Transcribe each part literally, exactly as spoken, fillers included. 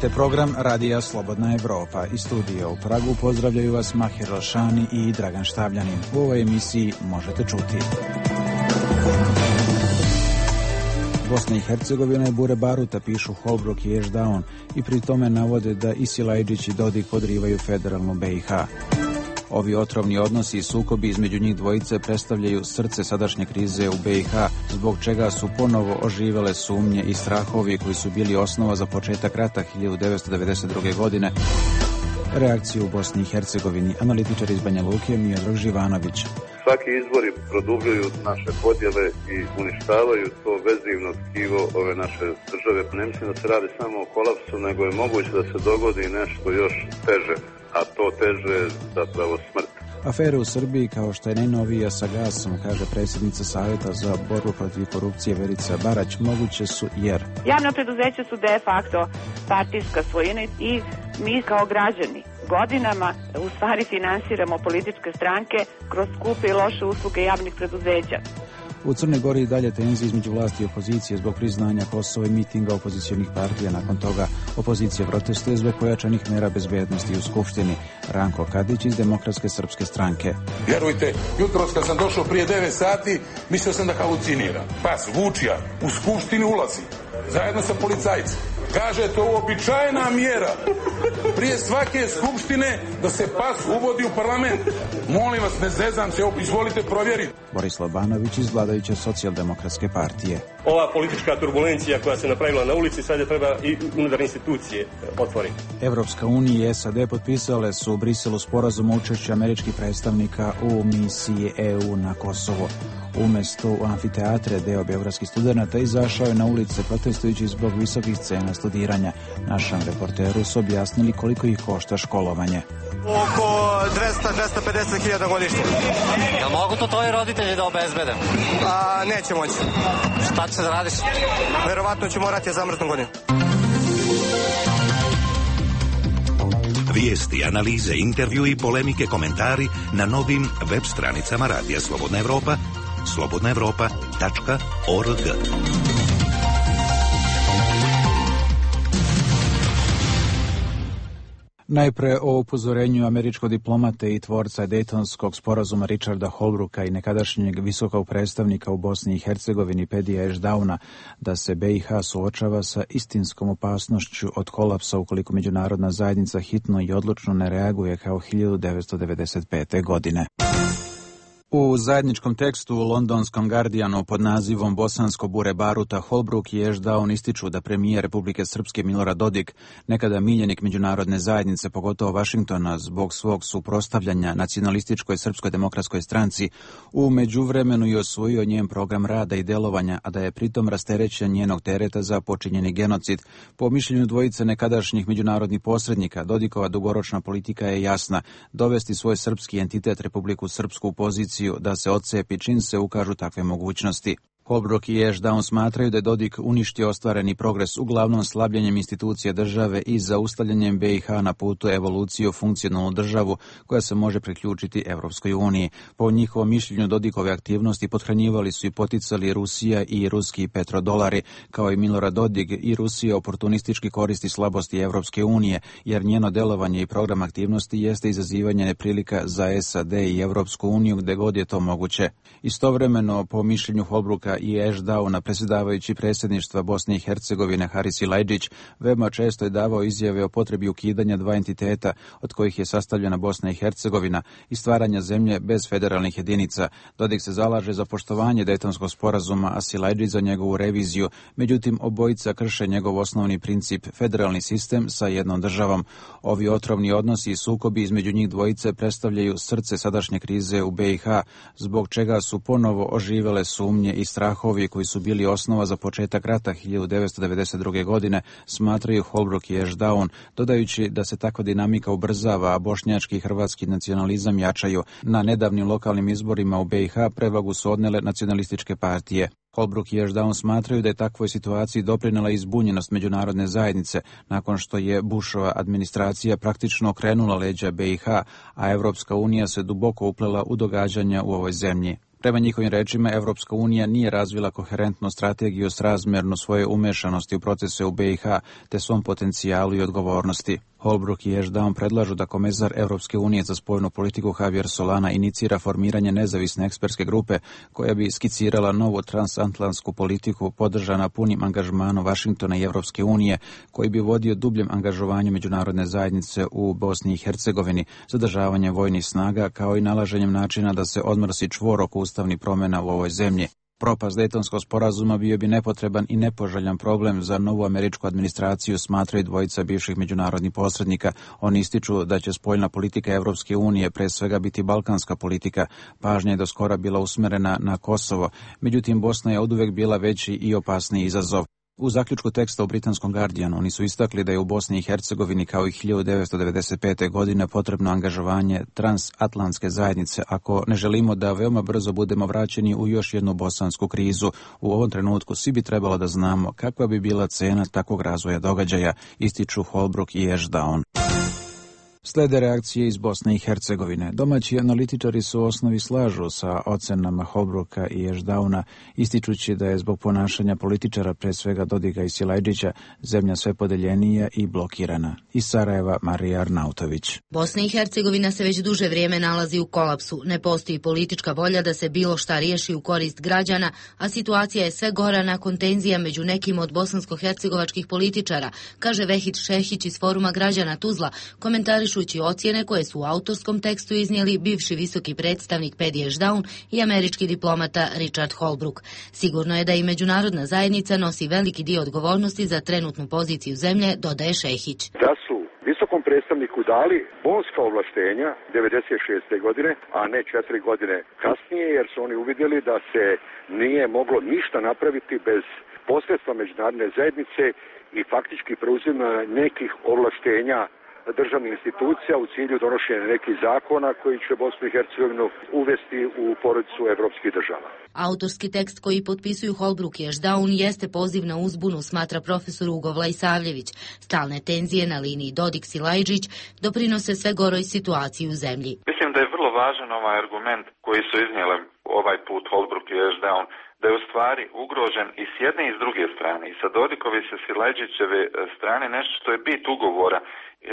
Slušate program Radija Slobodna Evropa. Iz studija u Pragu pozdravljaju vas Mahir Rošani i Dragan Štavljanin. U ovoj emisiji možete čuti: Bosna i Hercegovina i bure baruta, pišu Holbrooke i Ešdaun, i pri tome navode da i Silajdžić i Dodik podrivaju federalnu B i H. Ovi otrovni odnosi i sukobi između njih dvojice predstavljaju srce sadašnje krize u B i H, zbog čega su ponovo oživele sumnje i strahovi koji su bili osnova za početak rata hiljadu devetsto devedeset druge. godine. Reakciju u Bosni i Hercegovini, analitičar iz Banja Luke Miodrag Živanović. Svaki izbori produbljuju naše podjele i uništavaju to vezivno tkivo ove naše države. Ne mislim da se radi samo o kolapsu, nego je moguće da se dogodi nešto još teže, a to teže je zapravo smrt. Afere u Srbiji, kao što je najnovija sa gasom, kaže predsjednica Savjeta za borbu protiv korupcije Verica Barać, moguće su jer javna preduzeća su de facto partijska svojina i mi kao građani godinama u stvari finansiramo političke stranke kroz skupe i loše usluge javnih preduzeća. U Crnoj Gori i dalje tenzije između vlasti i opozicije zbog priznanja Kosova i mitinga opozicionih partija. Nakon toga opozicija protestuje zbog pojačanih mera bezbednosti u Skupštini. Ranko Kadić iz Demokratske srpske stranke. Vjerujte, jutros kad sam došao prije devet sati, mislio sam da halucinira. Pas Vučija u Skupštini ulazi zajedno sa policajcem. Kaže, to uobičajena mjera prije svake skupštine da se pas uvodi u parlament. Molim vas, ne zezam se, izvolite provjeriti. Boris Lobanović iz vladajuće socijaldemokratske partije. Ova politička turbulencija koja se napravila na ulici sad je treba i unutar institucije otvoriti. Evropska unija i S A D potpisale su u Briselu sporazum o učešću američkih predstavnika u misiji E U na Kosovo. Umesto u amfiteatre, deo beogradskih studenata izašao je na ulice protestujući zbog visokih cena studiranja. Našem reporteru su objasnili koliko ih košta školovanje. Oko dvesta do dvesta pedeset hiljada godišnje. Jel mogu to tvoji roditelji da obezbede? A, neće moći. Šta će da radiš? Verovatno ću morati zamrznu godinu. Vijesti, analize, intervju i polemike, komentari na novim web stranicama Radija Slobodna Evropa, slobodna evropa tačka org. Najpre o upozorenju američkog diplomate i tvorca Dejtonskog sporazuma Richarda Holbrooka i nekadašnjeg visokog predstavnika u Bosni i Hercegovini Pedija Ešdauna da se B i H suočava sa istinskom opasnošću od kolapsa ukoliko međunarodna zajednica hitno i odlučno ne reaguje kao hiljadu devetsto devedeset pete. godine. U zajedničkom tekstu u londonskom Guardianu pod nazivom Bosansko bure baruta, Holbrooke i Ešdaun ističu da premijer Republike Srpske Milorad Dodik, nekada miljenik međunarodne zajednice, pogotovo Vašingtona, zbog svog suprotstavljanja nacionalističkoj Srpskoj demokratskoj stranci, u međuvremenu i osvojio njen program rada i delovanja, a da je pritom rasterećen njenog tereta za počinjeni genocid. Po mišljenju dvojice nekadašnjih međunarodnih posrednika, Dodikova dugoročna politika je jasna: dovesti svoj srpski entitet Republiku Srpsku u poziciju da se odcepi čim se ukažu takve mogućnosti. Holbrooke i Ešdaun smatraju da je Dodik uništio ostvareni progres uglavnom slabljenjem institucije države i zaustavljanjem B i H na putu evoluciju funkcionalnu državu koja se može priključiti Evropskoj uniji. Po njihovom mišljenju Dodikove aktivnosti pothranjivali su i poticali Rusija i ruski petrodolari, kao i Milorad Dodik i Rusija oportunistički koristi slabosti Evropske unije, jer njeno delovanje i program aktivnosti jeste izazivanje neprilika za S A D i Evropsku uniju gde god je to moguće. Istovremeno, po mišljenju Holbrooka i Ešdauna, predsjedavajući predsjedništva Bosne i Hercegovine Haris Silajdžić veoma često je davao izjave o potrebi ukidanja dva entiteta od kojih je sastavljena Bosna i Hercegovina i stvaranja zemlje bez federalnih jedinica. Dodik se zalaže za poštovanje Dejtonskog sporazuma, a Silajdžić za njegovu reviziju. Međutim, obojica krše njegov osnovni princip, federalni sistem sa jednom državom. Ovi otrovni odnosi i sukobi između njih dvojice predstavljaju srce sadašnje krize u B i H, zbog čega su ponovo oživele sumnje i strahovi koji su bili osnova za početak rata hiljadu devetsto devedeset druge. godine, smatraju Holbrooke i Ešdaun, dodajući da se takva dinamika ubrzava, a bošnjački i hrvatski nacionalizam jačaju. Na nedavnim lokalnim izborima u B i H prevagu su odnele nacionalističke partije. Holbrooke i Ešdaun smatraju da je takvoj situaciji doprinela izbunjenost međunarodne zajednice nakon što je Bushova administracija praktično okrenula leđa B i H, a Evropska unija se duboko uplela u događanja u ovoj zemlji. Prema njihovim rečima, Evropska unija nije razvila koherentnu strategiju srazmjerno svoje umešanosti u procese u B i H te svom potencijalu i odgovornosti. Holbrooke i Ashdown predlažu da komesar Evropske unije za spoljnu politiku Javier Solana inicira formiranje nezavisne ekspertske grupe koja bi skicirala novu transatlantsku politiku podržana punim angažmanom Vašingtona i Evropske unije, koji bi vodio dubljem angažovanju međunarodne zajednice u Bosni i Hercegovini, zadržavanjem vojnih snaga kao i nalaženjem načina da se odmrsi čvor oko ustavnih promjena u ovoj zemlji. Propast Dejtonskog sporazuma bio bi nepotreban i nepoželjan problem za novu američku administraciju, smatraju dvojica bivših međunarodnih posrednika. Oni ističu da će spoljna politika Evropske unije pre svega biti balkanska politika. Pažnja je do skora bila usmerena na Kosovo, međutim Bosna je oduvek bila veći i opasniji izazov. U zaključku teksta u britanskom Guardianu oni su istakli da je u Bosni i Hercegovini kao i hiljadu devetsto devedeset pete. godine potrebno angažovanje transatlantske zajednice ako ne želimo da veoma brzo budemo vraćeni u još jednu bosansku krizu. U ovom trenutku svi bi trebalo da znamo kakva bi bila cena takvog razvoja događaja, ističu Holbrooke i Ashdown. Slede reakcije iz Bosne i Hercegovine. Domaći analitičari su u osnovi slažu sa ocenama Holbrookea i Ashdowna, ističući da je zbog ponašanja političara, pre svega Dodika i Silajđića, zemlja sve podeljenija i blokirana. Iz Sarajeva, Marija Arnautović. Bosna i Hercegovina se već duže vrijeme nalazi u kolapsu. Ne postoji politička volja da se bilo šta riješi u korist građana, a situacija je sve gora nakon tenzija među nekim od bosansko-hercegovačkih političara, kaže Vehid Šehić iz Foruma građana Tuzla, komentariš ocjene koje su u autorskom tekstu iznijeli bivši visoki predstavnik Paddy Ashdown i američki diplomata Richard Holbrooke. Sigurno je da i međunarodna zajednica nosi veliki dio odgovornosti za trenutnu poziciju zemlje, dodaje Šehić. Da su visokom predstavniku dali bonska ovlaštenja devedeset šeste. godine, a ne četiri godine kasnije, jer su oni uvidjeli da se nije moglo ništa napraviti bez posredstva međunarodne zajednice i faktički preuzima nekih ovlaštenja državnih institucija u cilju donošenja nekih zakona koji će Bosnu i Hercegovinu uvesti u porodicu evropskih država. Autorski tekst koji potpisuju Holbrooke i Ashdown jeste poziv na uzbunu, smatra profesor Ugo Vlajsavljević. Stalne tenzije na liniji Dodik-Silajđić doprinose sve goroj situaciji u zemlji. Mislim da je vrlo važan ovaj argument koji su iznijeli ovaj put Holbrooke i Ashdown, da je u stvari ugrožen i s jedne i s druge strane, i sa Dodikove i sa Silajđićeve strane, nešto što je bit ugovora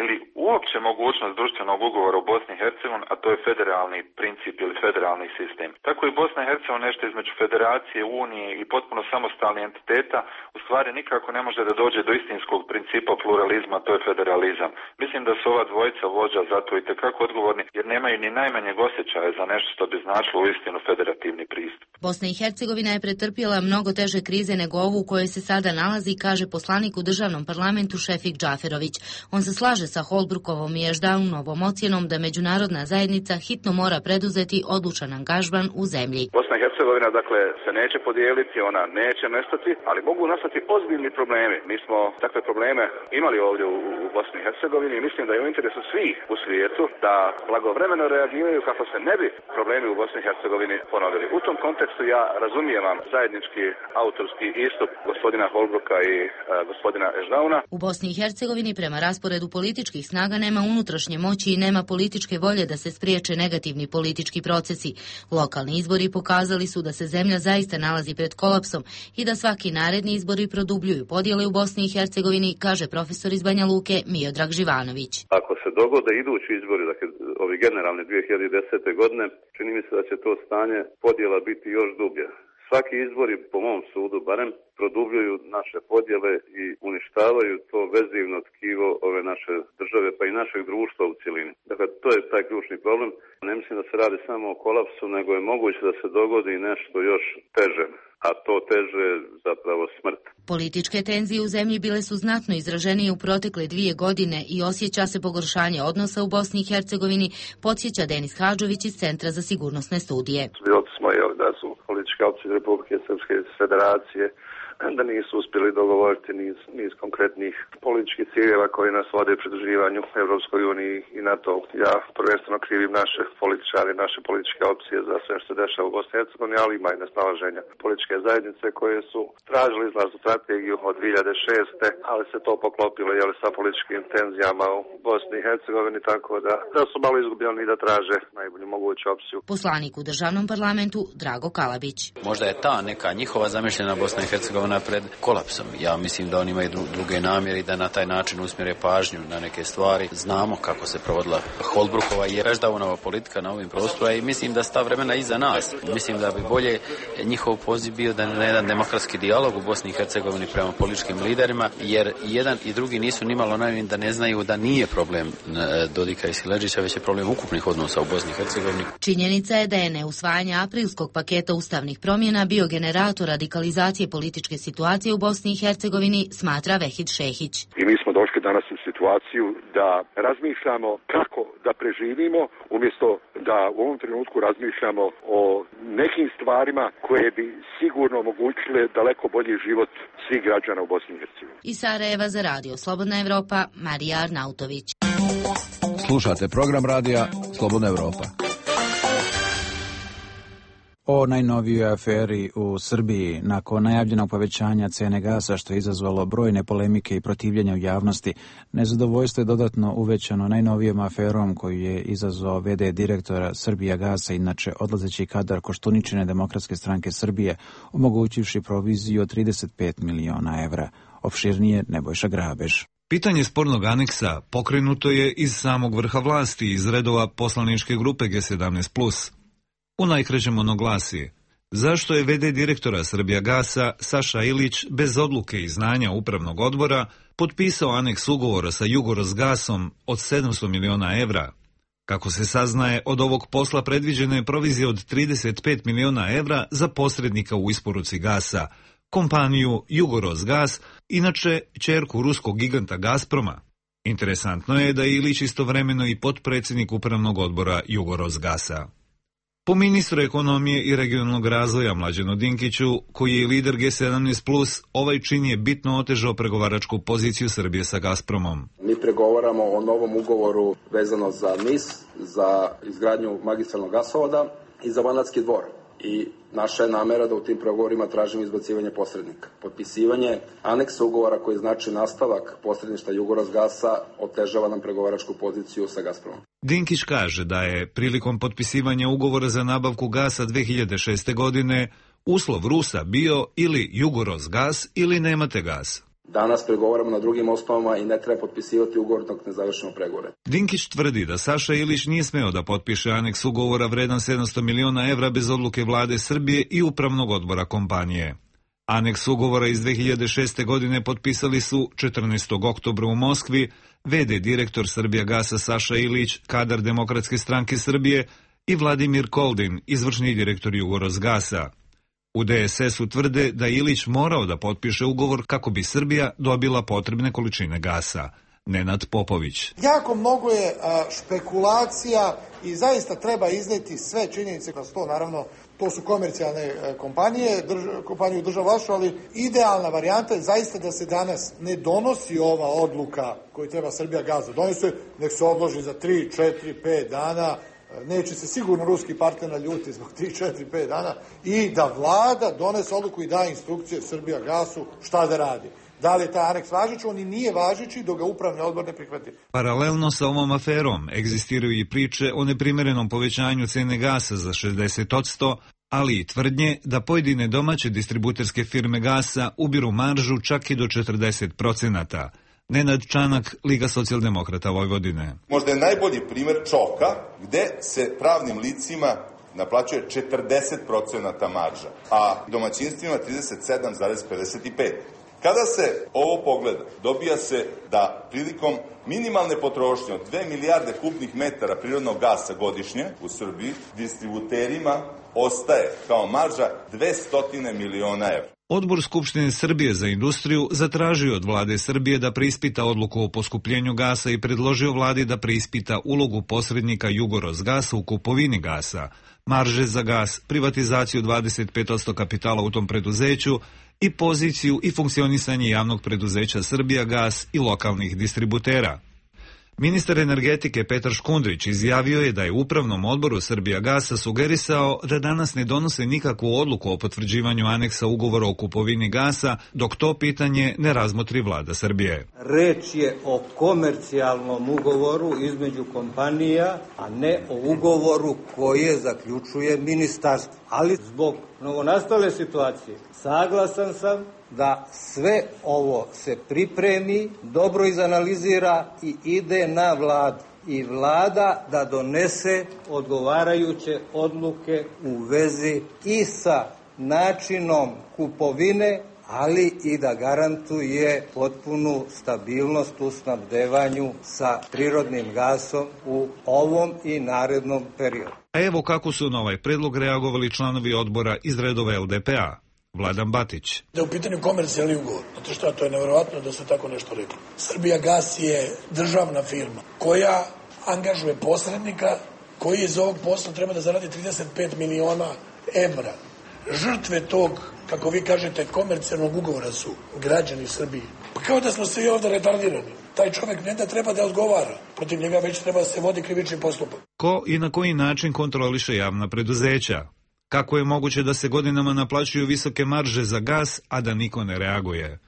ili uopće mogućnost društvenog ugovora u Bosni i Hercegovini, a to je federalni princip ili federalni sistem. Tako i Bosna i Hercegovina nešto između federacije, unije i potpuno samostalnih entiteta u stvari nikako ne može da dođe do istinskog principa pluralizma, to je federalizam. Mislim da su ova dvojica vođa zato i tekako odgovorni, jer nemaju ni najmanjeg osjećaja za nešto što bi značilo uistinu federativni pristup. Bosna i Hercegovina je pretrpjela mnogo teže krize nego ovu u kojoj se sada nalazi, kaže poslanik u državnom parlamentu Šefik Džaferović. On se slaže sa Holbrookovom i Ashdownovom ocjenom da međunarodna zajednica hitno mora preduzeti odlučan angažman u zemlji. Bosna i Hercegovina dakle se neće podijeliti, ona neće nestati, ali mogu nastati ozbiljni problemi. Mi smo takve probleme imali ovdje u, u Bosni i Hercegovini i mislim da je u interesu svih u svijetu da blagovremeno reagiraju kako se ne bi problemi u Bosni i Hercegovini ponovili. U tom kontekstu ja razumijem vam zajednički autorski istup gospodina Holbrookea i uh, gospodina Ashdowna. U Bosni i Hercegovini prema rasporedu političkih snaga nema unutrašnje moći i nema političke volje da se spriječe negativni politički procesi. Lokalni izbori pokazali su da se zemlja zaista nalazi pred kolapsom i da svaki naredni izbori produbljuju podjele u Bosni i Hercegovini, kaže profesor iz Banja Luke Miodrag Živanović. Ako se dogode idući izbori, dakle ovi generalni dvije hiljade desete. godine, čini mi se da će to stanje podjela biti još dublje. Svaki izbori, po mom sudu, barem produbljuju naše podjele i uništavaju to vezivno tkivo ove naše države, pa i našeg društva u cjelini. Dakle, to je taj ključni problem. Ne mislim da se radi samo o kolapsu, nego je moguće da se dogodi nešto još teže, a to teže je zapravo smrt. Političke tenzije u zemlji bile su znatno izraženije u protekle dvije godine i osjeća se pogoršanje odnosa u Bosni i Hercegovini, podsjeća Denis Hadžović iz Centra za sigurnosne studije. Svjedoci smo da su političke opcije Republike Srpske Federacije da nisu uspjeli dogovoriti niz, niz konkretnih političkih ciljeva koji nas vode pridruživanju Evropskoj uniji i NATO. Ja prvenstveno krivim naše političare, naše političke opcije za sve što se dešava u Bosni i Hercegovini, ali ima i nesnalaženja političke zajednice koje su tražili izlaznu strategiju od dvije hiljade šeste. ali se to poklopilo jeli, sa političkim tenzijama u Bosni i Hercegovini, tako da, da su malo izgubljeni da traže najbolju moguću opciju. Poslanik u državnom parlamentu Drago Kalabić. Možda je ta neka njihova zamišljena Bosna i Hercegovina pred kolapsom. Ja mislim da oni imaju druge namjere i da na taj način usmjere pažnju na neke stvari. Znamo kako se provodila Holbrukova i Ešdaunova politika na ovim prostorima i mislim da su ta vremena iza nas. Mislim da bi bolje njihov poziv bio da na jedan demokratski dijalog u Bosni i Hercegovini prema političkim liderima, jer jedan i drugi nisu nimalo naivni da ne znaju da nije problem Dodika i Siledžića, već je problem ukupnih odnosa u Bosni i Hercegovini. Činjenica je da je neusvajanje aprilskog paketa ustavnih promjena bio generator radikalizacije političke situacije u Bosni i Hercegovini, smatra Vehid Šehić. I mi smo došli danas u situaciju da razmišljamo kako da preživimo, umjesto da u ovom trenutku razmišljamo o nekim stvarima koje bi sigurno omogućile daleko bolji život svih građana u Bosni i Hercegovini. Iz Sarajeva za radio Slobodna Evropa, Marija Arnautović. Slušate program radija Slobodna Evropa. O najnovijoj aferi u Srbiji, nakon najavljenog povećanja cene gasa što je izazvalo brojne polemike i protivljenja u javnosti, nezadovoljstvo je dodatno uvećano najnovijom aferom koju je izazvao ve de direktora Srbijagasa, inače odlazeći kadar Koštuničine Demokratske stranke Srbije, omogućivši proviziju od trideset pet miliona evra. Opširnije Nebojša Grabež. Pitanje spornog aneksa pokrenuto je iz samog vrha vlasti, iz redova poslaničke grupe ge sedamnaest plus. U najkraćem ono glasi: zašto je ve de direktora Srbijagasa Saša Ilić bez odluke i znanja upravnog odbora potpisao aneks ugovora sa Jugorosgasom od sedamsto miliona evra? Kako se saznaje, od ovog posla predviđena je provizija od trideset pet miliona evra za posrednika u isporuci gasa, kompaniju Jugorosgas, inače ćerku ruskog giganta Gazproma. Interesantno je da je Ilić istovremeno i potpredsjednik upravnog odbora Jugorosgasa. Po ministru ekonomije i regionalnog razvoja Mlađanu Dinkiću, koji je lider ge sedamnaest plus, ovaj čin je bitno otežao pregovaračku poziciju Srbije sa Gazpromom. Mi pregovaramo o novom ugovoru vezano za N I S, za izgradnju magistralnog gasovoda i za Banatski Dvor. I naša je namera da u tim pregovorima tražimo izbacivanje posrednika. Potpisivanje aneksa ugovora koji znači nastavak posredništva Jugorosgasa otežava nam pregovaračku poziciju sa Gazpromom. Dinkić kaže da je prilikom potpisivanja ugovora za nabavku gasa dve hiljade šeste. godine uslov Rusa bio ili Jugorosgas ili nemate gas. Danas pregovaramo na drugim osnovama i ne treba potpisivati ugovor dok ne završimo pregovore. Dinkić tvrdi da Saša Ilić nije smeo da potpiše aneks ugovora vredan sedamsto miliona evra bez odluke vlade Srbije i upravnog odbora kompanije. Aneks ugovora iz dve hiljade šeste. godine potpisali su četrnaestog oktobra u Moskvi ve de direktor Srbijagasa Saša Ilić, kadar Demokratske stranke Srbije, i Vladimir Koldin, izvršni direktor Jugorosgasa. U de es es u tvrde da Ilić morao da potpiše ugovor kako bi Srbija dobila potrebne količine gasa. Nenad Popović. Jako mnogo je a, špekulacija i zaista treba izneti sve činjenice kroz to, naravno, to su komercijalne a, kompanije, drž, kompaniju država vašu, ali idealna varijanta je zaista da se danas ne donosi ova odluka koju treba Srbijagas da donese, nek se odloži za tri, četiri, pet dana, neće se sigurno ruski partner naljuti zbog tri, četiri, pet dana, i da vlada donese odluku i da instrukcije Srbijagasu šta da radi. Da li je taj aneks važeći? On i nije važeći dok ga upravni odbor ne prihvati. Paralelno sa ovom aferom egzistiraju i priče o neprimerenom povećanju cene gasa za šezdeset posto, ali i tvrdnje da pojedine domaće distributerske firme gasa ubiru maržu čak i do četrdeset procenata. Nenad Čanak, Liga socijaldemokrata Vojvodine. Možda je najbolji primjer Čoka, gde se pravnim licima naplaćuje četrdeset procenata marža, a domaćinstvima trideset sedam zarez pedeset pet. Kada se ovo pogleda, dobija se da prilikom minimalne potrošnje od dve milijarde kubnih metara prirodnog gasa godišnje u Srbiji, distributerima ostaje kao marža dvesta miliona evra. Odbor Skupštine Srbije za industriju zatražio od vlade Srbije da preispita odluku o poskupljenju gasa i predložio vladi da preispita ulogu posrednika Jugorosgasa u kupovini gasa, marže za gas, privatizaciju dvadeset pet posto kapitala u tom preduzeću i poziciju i funkcionisanje javnog preduzeća Srbijagas i lokalnih distributera. Ministar energetike Petar Škundrić izjavio je da je upravnom odboru Srbijagasa sugerisao da danas ne donose nikakvu odluku o potvrđivanju aneksa ugovora o kupovini gasa, dok to pitanje ne razmotri vlada Srbije. Reč je o komercijalnom ugovoru između kompanija, a ne o ugovoru koje zaključuje ministarstvo. Ali zbog novonastale situacije saglasan sam da sve ovo se pripremi, dobro izanalizira i ide na vladu. I vlada da donese odgovarajuće odluke u vezi i sa načinom kupovine, ali i da garantuje potpunu stabilnost u snabdevanju sa prirodnim gasom u ovom i narednom periodu. A evo kako su na ovaj predlog reagovali članovi odbora iz redova L D P A. Vladan Batić. Da je u pitanju komercijalni ugovor. Znate šta, to je nevjerovatno da su tako nešto rekli. Srbijagas je državna firma koja angažuje posrednika koji iz ovog posla treba da zaradi trideset pet miliona evra. Žrtve tog, kako vi kažete, komercijalnog ugovora su građani Srbije. Pa kao da smo svi ovdje retardirani. Taj čovjek ne da treba da odgovara. Protiv njega već treba da se vodi krivični postupak. Ko i na koji način kontroliše javna preduzeća? Kako je moguće da se godinama naplaćuju visoke marže za gas, a da niko ne reaguje?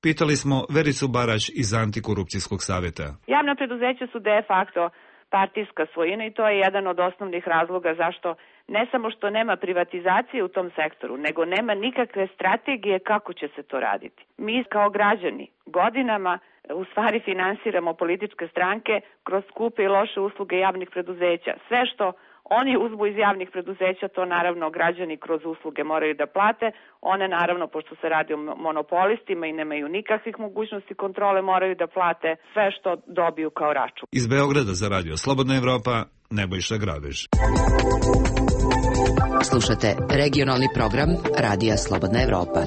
Pitali smo Vericu Barać iz Antikorupcijskog savjeta. Javna preduzeća su de facto partijska svojina i to je jedan od osnovnih razloga zašto ne samo što nema privatizacije u tom sektoru, nego nema nikakve strategije kako će se to raditi. Mi kao građani godinama u stvari finansiramo političke stranke kroz skupe i loše usluge javnih preduzeća. Sve što oni uzmu iz javnih preduzeća, to naravno građani kroz usluge moraju da plate. One naravno, pošto se radi o monopolistima i nemaju nikakvih mogućnosti kontrole, moraju da plate sve što dobiju kao račun. Iz Beograda za radio Slobodna Evropa, Nebojša Grabež. Slušate regionalni program Radija Slobodna Evropa.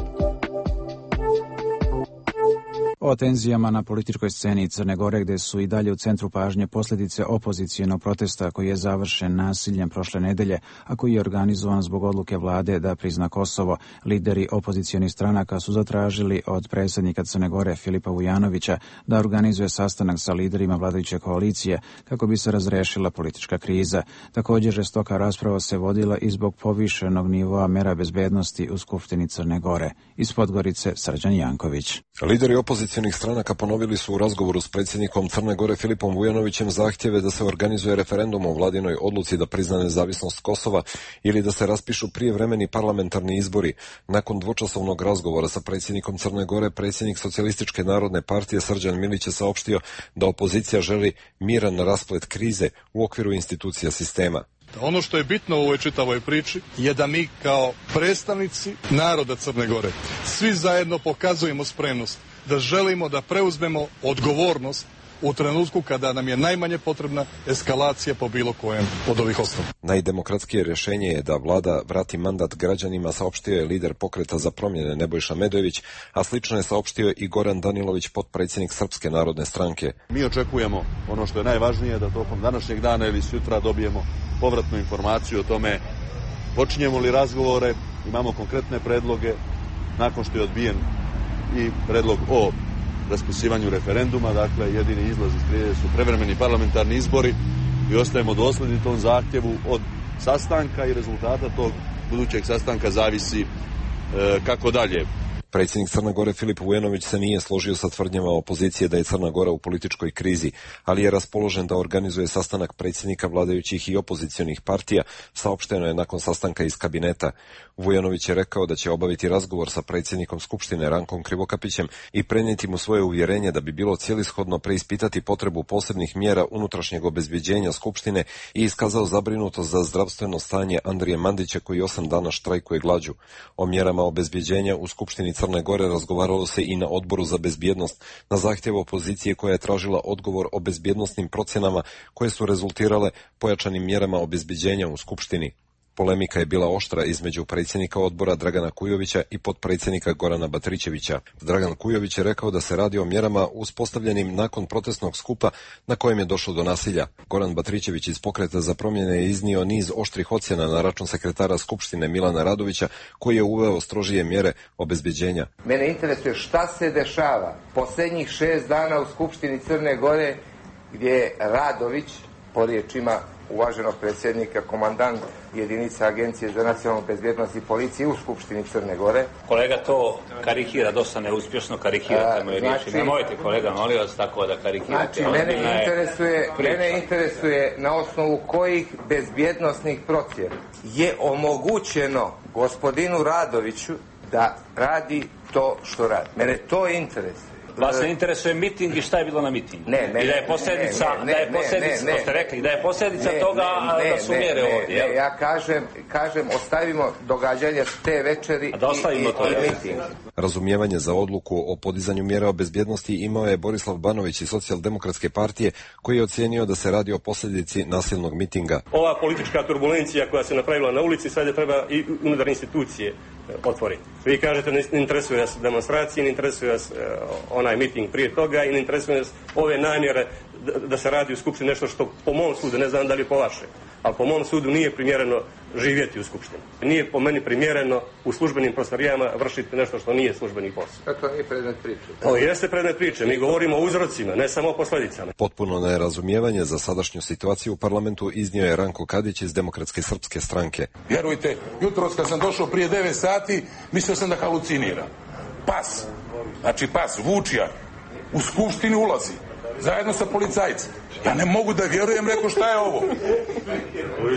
O tenzijama na političkoj sceni Crne Gore, gde su i dalje u centru pažnje posljedice opozicijenog protesta koji je završen nasiljem prošle nedelje, a koji je organizovan zbog odluke vlade da prizna Kosovo. Lideri opozicijonih stranaka su zatražili od predsjednika Crne Gore Filipa Vujanovića da organizuje sastanak sa liderima vladajuće koalicije kako bi se razrešila politička kriza. Također žestoka rasprava se vodila i zbog povišenog nivoa mera bezbednosti u Skupštini Crne Gore. Iz Podgorice Srđan Janković. Lideri opozicijonih stranaka ponovili su u razgovoru s predsjednikom Crne Gore Filipom Vujanovićem zahtjeve da se organizuje referendum o vladinoj odluci da prizna nezavisnost Kosova ili da se raspišu prijevremeni parlamentarni izbori. Nakon dvočasovnog razgovora sa predsjednikom Crne Gore, predsjednik Socijalističke narodne partije Srđan Milić je saopštio da opozicija želi miran rasplet krize u okviru institucija sistema. Ono što je bitno u ovoj čitavoj priči je da mi kao predstavnici naroda Crne Gore svi zajedno pokazujemo spremnost da želimo da preuzmemo odgovornost u trenutku kada nam je najmanje potrebna eskalacija po bilo kojem od ovih osnova. Najdemokratskije rješenje je da vlada vrati mandat građanima, saopštio je lider Pokreta za promjene Nebojša Medojević, a slično je saopštio i Goran Danilović, potpredsjednik Srpske narodne stranke. Mi očekujemo ono što je najvažnije, da tokom današnjeg dana ili sutra dobijemo povratnu informaciju o tome počinjemo li razgovore, imamo konkretne predloge, nakon što je odbijen i predlog o raspisivanju referenduma, dakle jedini izlaz iz krize su prevremeni parlamentarni izbori i ostajemo dosledni tom zahtjevu. Od sastanka i rezultata tog budućeg sastanka zavisi e, kako dalje. Predsjednik Crne Gore Filip Vujanović se nije složio sa tvrdnjama opozicije da je Crna Gora u političkoj krizi, ali je raspoložen da organizuje sastanak predsjednika vladajućih i opozicionih partija, saopšteno je nakon sastanka iz kabineta. Vujanović je rekao da će obaviti razgovor sa predsjednikom Skupštine Rankom Krivokapićem i prenijeti mu svoje uvjerenje da bi bilo cijelishodno preispitati potrebu posebnih mjera unutrašnjeg obezbjeđenja Skupštine i iskazao zabrinutost za zdravstveno stanje Andrije Mandića koji osam dana štrajkuje glađu. O mjerama obezbjeđenja u Skupštini Crne Gore razgovaralo se i na Odboru za bezbjednost na zahtjev opozicije koja je tražila odgovor o bezbjednosnim procjenama koje su rezultirale pojačanim mjerama obezbjeđenja u Skupštini. Polemika je bila oštra između predsjednika odbora Dragana Kujovića i potpredsjednika Gorana Batričevića. Dragan Kujović je rekao da se radi o mjerama uspostavljenim nakon protestnog skupa na kojem je došlo do nasilja. Goran Batričević iz Pokreta za promjene je iznio niz oštrih ocjena na račun sekretara Skupštine Milana Radovića, koji je uveo strožije mjere obezbeđenja. Mene interesuje šta se dešava posljednjih šest dana u Skupštini Crne Gore, gdje je Radović, po riječima uvaženog predsjednika, komandant jedinice Agencije za nacionalnu bezbjednost i policije u Skupštini Crne Gore. Kolega to karikira, dosta neuspješno karikirate moje znači, riječi. Nemojte, kolega, molim vas tako da karikirate. Znači, mene interesuje, mene interesuje na osnovu kojih bezbjednosnih procjena je omogućeno gospodinu Radoviću da radi to što radi. Mene to interesuje. Vas ne interesuje miting i šta je bilo na mitingu? Ne, ne, I da je posljedica, ne, ne, da je posljedica, ne, ne, to ste rekli, da je posljedica ne, toga ne, da su ne, mjere ne, ovdje. Ne, ja kažem, kažem, ostavimo događanja te večeri da i, i, to, i miting. Razumijevanje za odluku o podizanju mjera o bezbjednosti imao je Borislav Banović iz Socijaldemokratske partije, koji je ocijenio da se radi o posljedici nasilnog mitinga. Ova politička turbulencija koja se napravila na ulici sad je treba i unutar institucije otvoriti. Vi kažete ne interesuje nas demonstracije, ne interesuje nas uh, onaj miting prije toga i ne interesuje nas ove namjere da, da se radi u Skupštini nešto što po mom sudu, ne znam da li je po vaše, ali po mom sudu nije primjereno živjeti u Skupštini. Nije po meni primjereno u službenim prostorijama vršiti nešto što nije službeni posao. To nije predmet priče. To jeste predmet priče. Mi govorimo o uzrocima, ne samo o posljedicama. Potpuno nerazumijevanje za sadašnju situaciju u parlamentu iznio je Ranko Kadić iz Demokratske srpske stranke. Vjerujte, jutros kad sam došao prije devet sati, mislio sam da haluciniram. Pas, znači pas, Vučija, u Skupštini ulazi, zajedno sa policajcem. Ja ne mogu da vjerujem, rekao šta je ovo.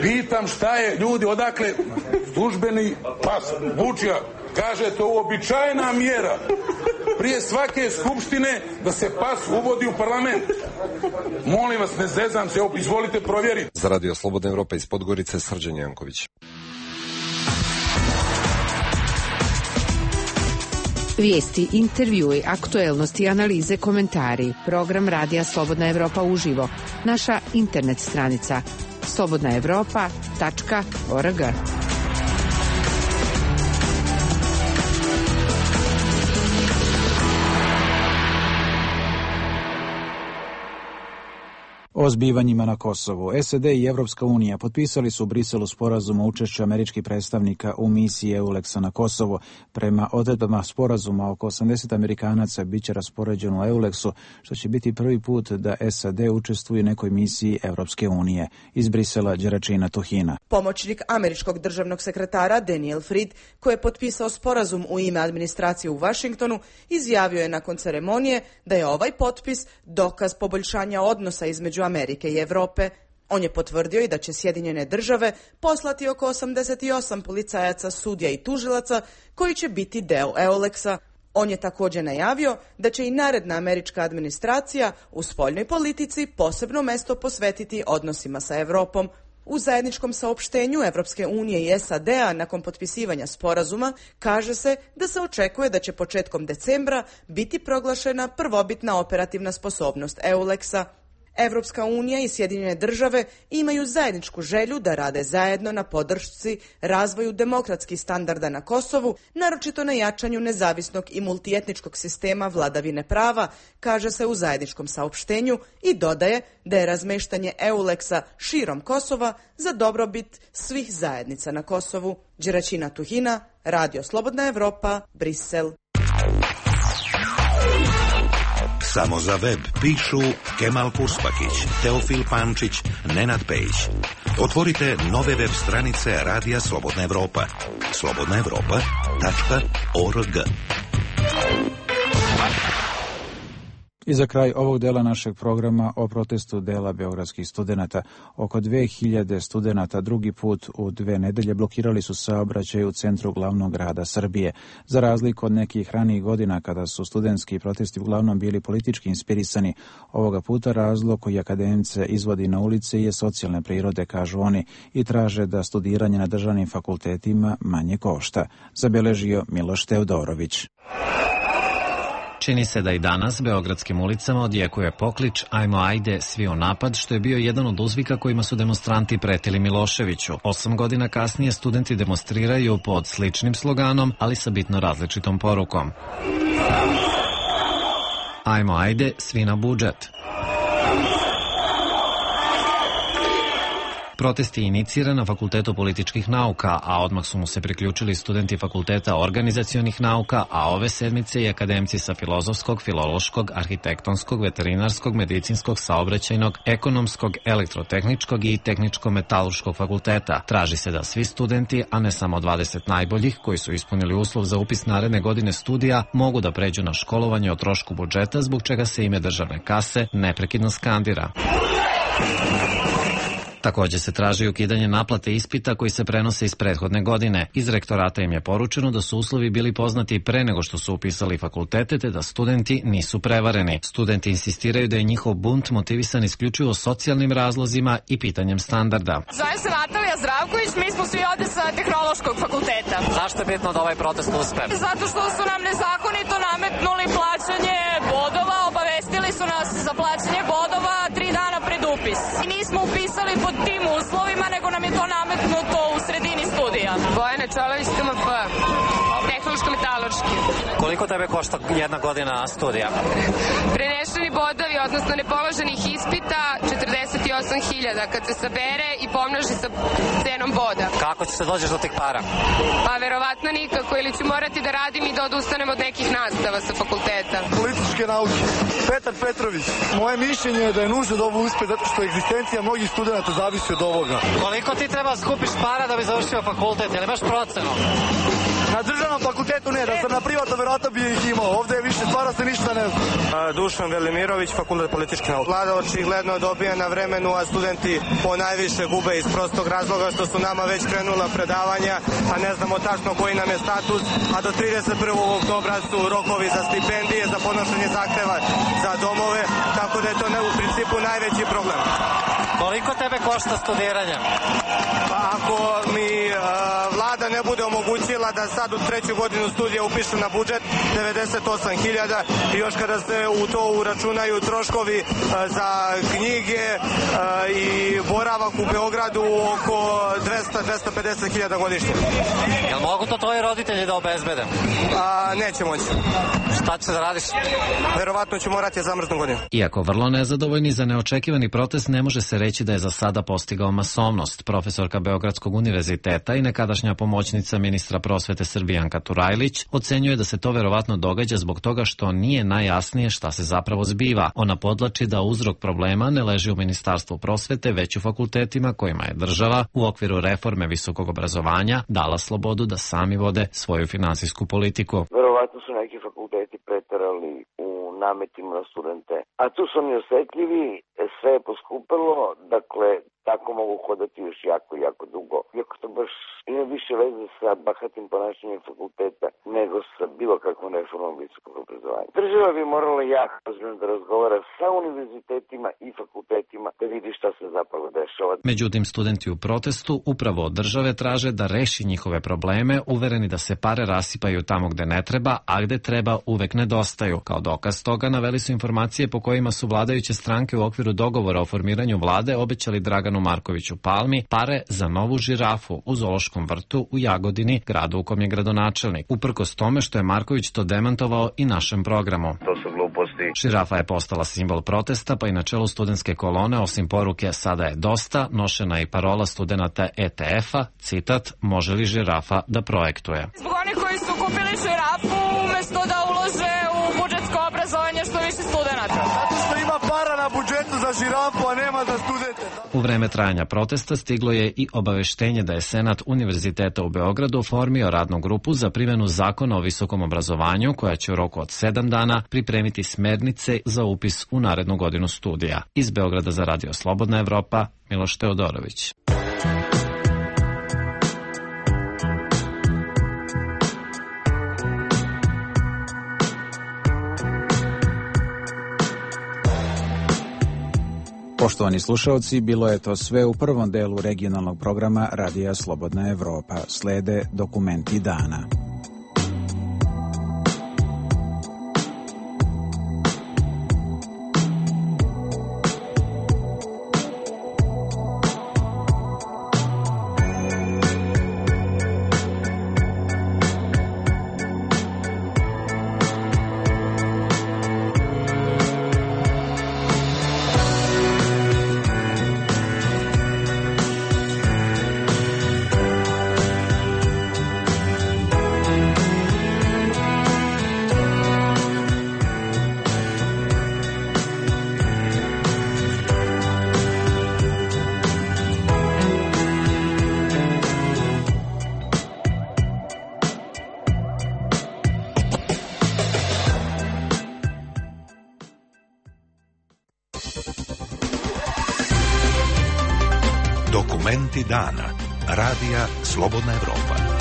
Pitam šta je, ljudi, odakle službeni pas, Vučija, kaže to uobičajena mjera prije svake skupštine da se pas uvodi u parlament. Molim vas, ne zezam se, izvolite provjeriti. Za Radio Slobodna Evropa iz Podgorice, Srđan Janković. Vijesti, intervjui, aktuelnosti, analize, komentari. Program Radija Slobodna Evropa uživo. Naša internet stranica slobodna evropa tačka org. O zbivanjima na Kosovu. S A D i Evropska unija potpisali su u Briselu sporazum o učešću američkih predstavnika u misiji EULEX-a na Kosovu. Prema odredbama sporazuma, oko osamdeset Amerikanaca bit će raspoređeno u EULEX-u, što će biti prvi put da S A D učestvuje u nekoj misiji Evropske unije. Iz Brisela, Đeračina Tuhina. Pomoćnik američkog državnog sekretara Daniel Fried, koji je potpisao sporazum u ime administracije u Vašingtonu, izjavio je nakon ceremonije da je ovaj potpis dokaz poboljšanja odnosa između Amerike i Evrope. On je potvrdio i da će Sjedinjene države poslati oko osamdeset osam policajaca, sudija i tužilaca koji će biti deo EULEX-a. On je također najavio da će i naredna američka administracija u spoljnoj politici posebno mesto posvetiti odnosima sa Evropom. U zajedničkom saopštenju Evropske unije i S A D-a nakon potpisivanja sporazuma kaže se da se očekuje da će početkom decembra biti proglašena prvobitna operativna sposobnost EULEX-a. Evropska unija i Sjedinjene države imaju zajedničku želju da rade zajedno na podršci razvoju demokratskih standarda na Kosovu, naročito na jačanju nezavisnog i multietničkog sistema vladavine prava, kaže se u zajedničkom saopštenju i dodaje da je razmeštanje EULEX-a širom Kosova za dobrobit svih zajednica na Kosovu. Đeračina Tuhina, Radio Slobodna Evropa, Brisel. Samo za web pišu Kemal Puspakić, Teofil Pančić, Nenad Pejić. Otvorite nove web stranice Radija Slobodna Evropa. slobodna evropa tačka org. I za kraj ovog dela našeg programa o protestu dela beogradskih studenata. Oko dve hiljade studenata drugi put u dve nedelje blokirali su saobraćaj u centru glavnog grada Srbije. Za razliku od nekih ranijih godina kada su studentski protesti uglavnom bili politički inspirisani, ovoga puta razlog koji akademice izvodi na ulici je socijalne prirode, kažu oni, i traže da studiranje na državnim fakultetima manje košta. Zabeležio Miloš Teodorović. Čini se da i danas beogradskim ulicama odjekuje poklič "Ajmo ajde, svi u napad", što je bio jedan od uzvika kojima su demonstranti pretili Miloševiću. Osam godina kasnije studenti demonstriraju pod sličnim sloganom, ali sa bitno različitom porukom. Ajmo ajde, svi na budžet. Protest je iniciran na Fakultetu političkih nauka, a odmah su mu se priključili studenti Fakulteta organizacionih nauka, a ove sedmice i akademci sa Filozofskog, Filološkog, Arhitektonskog, Veterinarskog, Medicinskog, Saobraćajnog, Ekonomskog, Elektrotehničkog i Tehničko-metalurškog fakulteta. Traži se da svi studenti, a ne samo dvadeset najboljih, koji su ispunili uslov za upis naredne godine studija, mogu da pređu na školovanje o trošku budžeta, zbog čega se ime državne kase neprekidno skandira. Također se traži ukidanje naplate ispita koji se prenose iz prethodne godine. Iz rektorata im je poručeno da su uslovi bili poznati pre nego što su upisali fakultete, te da studenti nisu prevareni. Studenti insistiraju da je njihov bunt motivisan isključivo socijalnim razlozima i pitanjem standarda. Zovem se Natalija Zdravković, mi smo svi ovde sa Tehnološkog fakulteta. Zašto je bitno da ovaj protest uspe? Zato što su nam nezakonito nametnuli plaćanje bodova, obavestili su nas za plaćanje bodova tri dana pred upis. I nismo upisali pod tim uslovima, nego nam je to nametnuto u sredini studija. Bojana Čolović, T M F, tehnološko-metalurški. Koliko tebe košta jedna godina studija? Prenešeni bodovi, odnosno nepoloženih ispita, četrdeset osam hiljada. Kad se sabere i pomnoži sa cenom boda. Kako će se dođeš do tih para? Pa verovatno nikako, ili ću morati da radim i da odustanem od nekih nastava sa fakulteta. Političke nauke. Petar Petrović. Moje mišljenje je da je nužno da ovo uspe zato što egzistencija mnogih studenta zavisi od ovoga. Koliko ti treba skupiš para da bi završio fakultet? Jel imaš procenu? Na državnom fakultetu ne, da sam na privatno verovatno bi ih imao. Ovde je više stvara se ništa ne zna. Dušan Velimirović, Fakultet političkih nauka. Vlada očigledno dobija na vremenu, a studenti po najviše gube iz prostog razloga što su nama već krenula predavanja, a ne znamo tačno koji nam je status, a do trideset prvog oktobra su rokovi za stipendije, za podnošenje zahteva za domove, tako da je to u principu najveći problem. Koliko tebe košta studiranje? Pa ako mi uh, vlada ne bude omogućila da sad u treću godinu studija upišem na budžet, devedeset osam hiljada, i još kada se u to uračunaju troškovi uh, za knjige uh, i boravak u Beogradu oko dvesta do dvesta pedeset hiljada godišnje. Jel mogu to tvoji roditelji da obezbede? A, neće moći. Šta ćeš da radiš? Verovatno ću morati zamrznu godinu. Iako vrlo nezadovoljni za neočekivani protest, ne može se reći da je za sada postigao masovnost. Profesorka Beogradskog univerziteta i nekadašnja pomoćnica ministra prosvete Srbijanka Turajlić ocenjuje da se to verovatno događa zbog toga što nije najjasnije šta se zapravo zbiva. Ona podlači da uzrok problema ne leži u Ministarstvu prosvete, već u fakultetima kojima je država u okviru reforme visokog obrazovanja dala slobodu da sami vode svoju finansijsku politiku. Verovatno su neki fakulteti preterali u nametima na studente. A tu su oni osetljivi, sve je poskupilo, dakle, tako mogu hodati još jako, jako dugo. Iako to baš ima više veze sa bahatim ponašanjem fakulteta nego sa bilo kakvom reformom visokog obrazovanja. Država bi morala jako ozbiljno da razgovara sa univerzitetima i fakultetima da vidi šta se zapravo dešava. Međutim, studenti u protestu upravo od države traže da reši njihove probleme, uvereni da se pare rasipaju tamo gde ne treba, a gde treba uvek nedostaju. Kao dokaz toga naveli su informacije po kojima su vladajuće stranke u okviru dogovora o formiranju vlade obećali Draganu Markoviću Palmi pare za novu žirafu u zoološkom vrtu u Jagodini, gradu u kom je gradonačelnik. Uprkos tome što je Marković to demantovao i našem programu. To su gluposti. Žirafa je postala simbol protesta, pa i na čelu studentske kolone, osim poruke "sada je dosta", nošena i parola studenata E T F-a, citat: "može li žirafa da projektuje". Zbog onih koji su kupili žirafu umesto da ulože u budžetsko obrazovanje što više studenata. Zato što ima para na budžetu za žirafu, a nema za studente. U vreme trajanja protesta stiglo je i obaveštenje da je Senat Univerziteta u Beogradu formio radnu grupu za primjenu zakona o visokom obrazovanju koja će u roku od sedam dana pripremiti smernice za upis u narednu godinu studija. Iz Beograda za Radio Slobodna Evropa, Miloš Teodorović. Poštovani slušalci, bilo je to sve u prvom delu regionalnog programa Radija Slobodna Evropa. Slede dokumenti dana. Dokumenti dana. Radija Slobodna Evropa.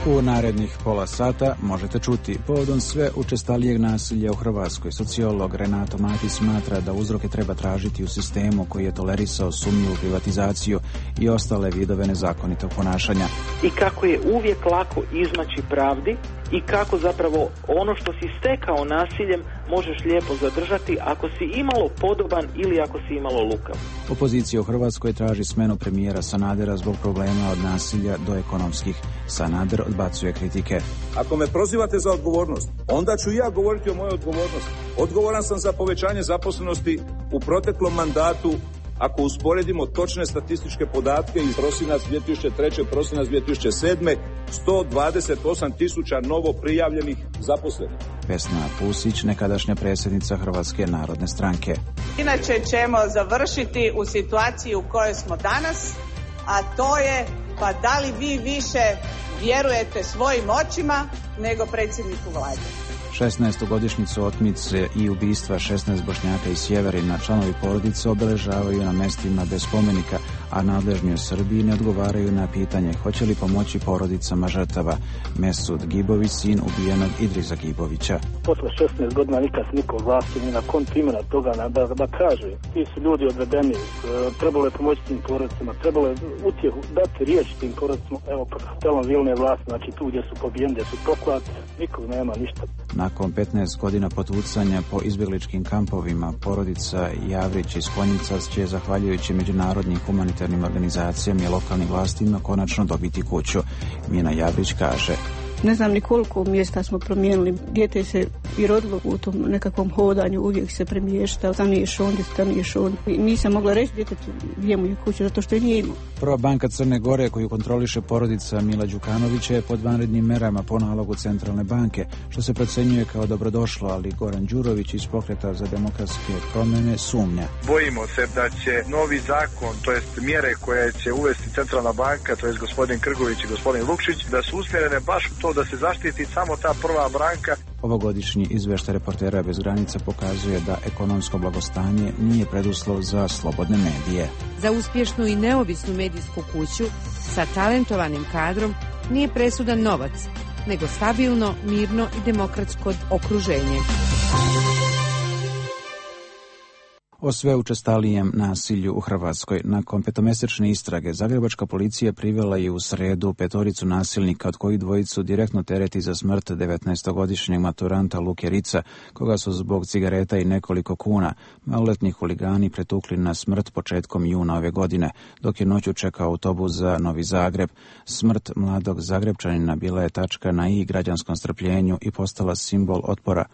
U narednih pola sata možete čuti povodom sve učestalijeg nasilja u Hrvatskoj. Sociolog Renato Matić smatra da uzroke treba tražiti u sistemu koji je tolerisao sumnju u privatizaciju i ostale vidove nezakonitog ponašanja. I kako je uvijek lako izmaći pravdi i kako zapravo ono što si stekao nasiljem možeš lijepo zadržati ako si imalo podoban ili ako si imalo lukav. Opozicija u Hrvatskoj traži smenu premijera Sanadera zbog problema od nasilja do ekonomskih. Sanader odbacuje kritike. Ako me prozivate za odgovornost, onda ću ja govoriti o mojoj odgovornosti. Odgovoran sam za povećanje zaposlenosti u proteklom mandatu. Ako usporedimo točne statističke podatke iz prosinac dvije tisuće treće. prosinac dvije tisuće sedme. sto dvadeset osam tisuća novo prijavljenih zaposlenih. Vesna Pusić, nekadašnja predsjednica Hrvatske narodne stranke. Inače ćemo završiti u situaciji u kojoj smo danas, a to je pa da li vi više vjerujete svojim očima nego predsjedniku vlade. šesnaestu godišnjicu otmice i ubistva šesnaest Bošnjaka iz Sjeverina članovi porodice obeležavaju na mestima bez spomenika, a nadležni u Srbiji ne odgovaraju na pitanje hoće li pomoći porodicama žrtava. Mesud Gibović, sin ubijenog Idrisa Gibovića. Posle šesnaest godina nikad niko vlasti ni na kon primjera toga da, da kaže ti su ljudi odvedeni, trebalo je pomoći tim porodicama, trebalo je utjehu dati riječ tim porodicama, evo pod hotelom Vilne vlasti, znači tu gdje su pobijeni, gdje su poklati, nikog nema ništa. Nakon petnaest godina potucanja po izbjegličkim kampovima, porodica Javrić iz Konjica će, zahvaljujući međunarodnim humanitarnim organizacijama i lokalnim vlastima, konačno dobiti kuću. Mina Javrić kaže: Ne znam ni koliko mjesta smo promijenili. Dijete se i rodilo u tom nekakvom hodanju, uvijek se premješta, staniješ ondje, staniješ ondje. Nisam mogla reći djetetu gdje mu je kuća, zato što je nije imao. Prva banka Crne Gore, koju kontroliše porodica Mila Đukanovića, je pod vanrednim merama po nalogu Centralne banke, što se procenjuje kao dobrodošlo, ali Goran Đurović iz Pokreta za demokratske promjene sumnja. Bojimo se da će novi zakon, to jest mjere koje će uvesti Centralna banka, to jest gospodin Krgović i gospodin Lukšić, da su usmjerene baš u to da se zaštiti samo ta prva banka. Ovogodišnji izveštaj Reportera bez granica pokazuje da ekonomsko blagostanje nije preduslov za slobodne medije. Za uspješnu i neovisnu medijsku kuću sa talentovanim kadrom nije presudan novac, nego stabilno, mirno i demokratsko okruženje. O sve učestalijem nasilju u Hrvatskoj. Nakon petomesečne istrage, zagrebačka policija privela je u sredu petoricu nasilnika, od kojih dvojicu direktno tereti za smrt devetnaestogodišnjeg maturanta Luke Rica, koga su zbog cigareta i nekoliko kuna maloletni huligani pretukli na smrt početkom juna ove godine, dok je noću čekao autobus za Novi Zagreb. Smrt mladog Zagrebčanina bila je tačka na i građanskom strpljenju i postala simbol otpora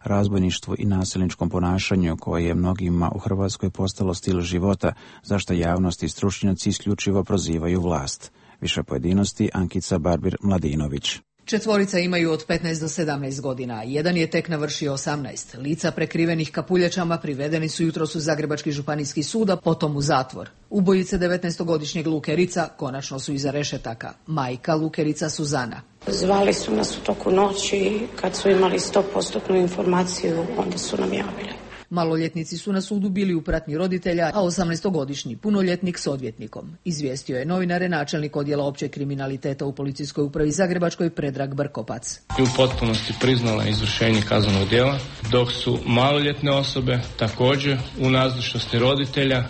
razbojništvu i nasilničkom ponašanju koje je mnogima u Hrvatskoj postalo stil života, zašto javnost i stručnjaci isključivo prozivaju vlast. Više pojedinosti Ankica Barbir-Mladinović. Četvorica imaju od petnaest do sedamnaest godina, jedan je tek navršio osamnaest. Lica prekrivenih kapuljačama privedeni su jutros u Zagrebački županijski sud, a potom u zatvor. Ubojice devetnaestogodišnjeg Luke Rica konačno su iza rešetaka. Majka Luke Rica Suzana. Zvali su nas u toku noći, kad su imali sto posto informaciju, onda su nam javili. Maloljetnici su na sudu bili u pratnji roditelja, a osamnaestogodišnji punoljetnik s odvjetnikom. Izvijestio je novinare načelnik odjela općeg kriminaliteta u policijskoj upravi Zagrebačkoj Predrag Brkopac. I u potpunosti priznala izvršenje kaznenog djela, dok su maloljetne osobe također u nazočnosti roditelja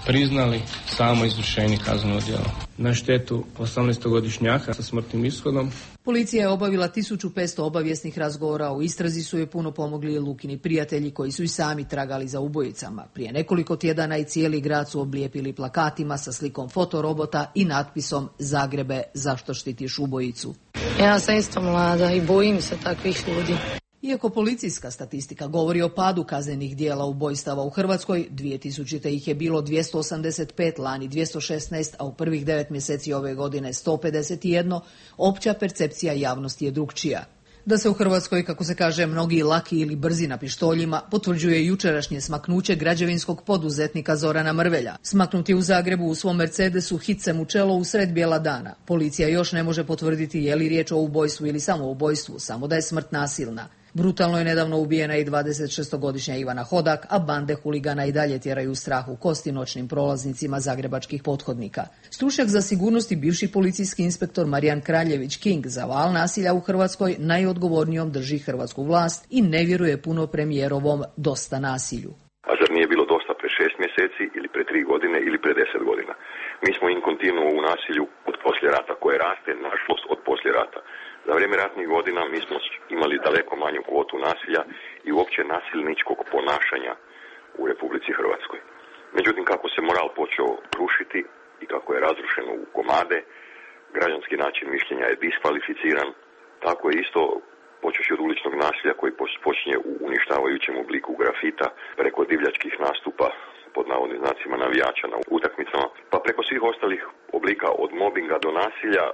priznali samo izvršenje kaznenog djela. Na štetu osamnaestogodišnjaka sa smrtnim ishodom. Policija je obavila tisuću petsto obavijesnih razgovora, u istrazi su je puno pomogli Lukini prijatelji koji su i sami tragali za ubojicama. Prije nekoliko tjedana i cijeli grad su oblijepili plakatima sa slikom fotorobota i natpisom Zagrebe, zašto štitiš ubojicu? Ja sam isto mlada i bojim se takvih ljudi. Iako policijska statistika govori o padu kaznenih dijela ubojstava u Hrvatskoj, dvije tisućite ih je bilo dvjesto osamdeset pet, lani dvjesto šesnaest, a u prvih devet mjeseci ove godine sto pedeset jedan, opća percepcija javnosti je drukčija. Da se u Hrvatskoj, kako se kaže, mnogi laki ili brzi na pištoljima, potvrđuje jučerašnje smaknuće građevinskog poduzetnika Zorana Mrvelja. Smaknuti u Zagrebu u svom Mercedesu hicem u čelo u sred bijela dana. Policija još ne može potvrditi je li riječ o ubojstvu ili samoubojstvu, samo da je smrt nasilna. Brutalno je nedavno ubijena i dvadesetšestogodišnja Ivana Hodak, a bande huligana i dalje tjeraju strah u kosti noćnim prolaznicima zagrebačkih pothodnika. Stručnjak za sigurnost i bivši policijski inspektor Marijan Kraljević King za val nasilja u Hrvatskoj najodgovornijom drži hrvatsku vlast i ne vjeruje puno premijerovom dosta nasilju. A zar nije bilo dosta pre šest mjeseci ili pre tri godine ili pre deset godina? Mi smo in continuo u nasilju od poslije rata koje raste, nažalost, od poslije rata. Za vrijeme ratnih godina mi smo imali daleko manju kvotu nasilja i uopće nasilničkog ponašanja u Republici Hrvatskoj. Međutim, kako se moral počeo rušiti i kako je razrušeno u komade, građanski način mišljenja je diskvalificiran, tako je isto počeši od uličnog nasilja koji počinje u uništavajućem obliku grafita, preko divljačkih nastupa pod navodnim znacima navijača na utakmicama, pa preko svih ostalih oblika od mobinga do nasilja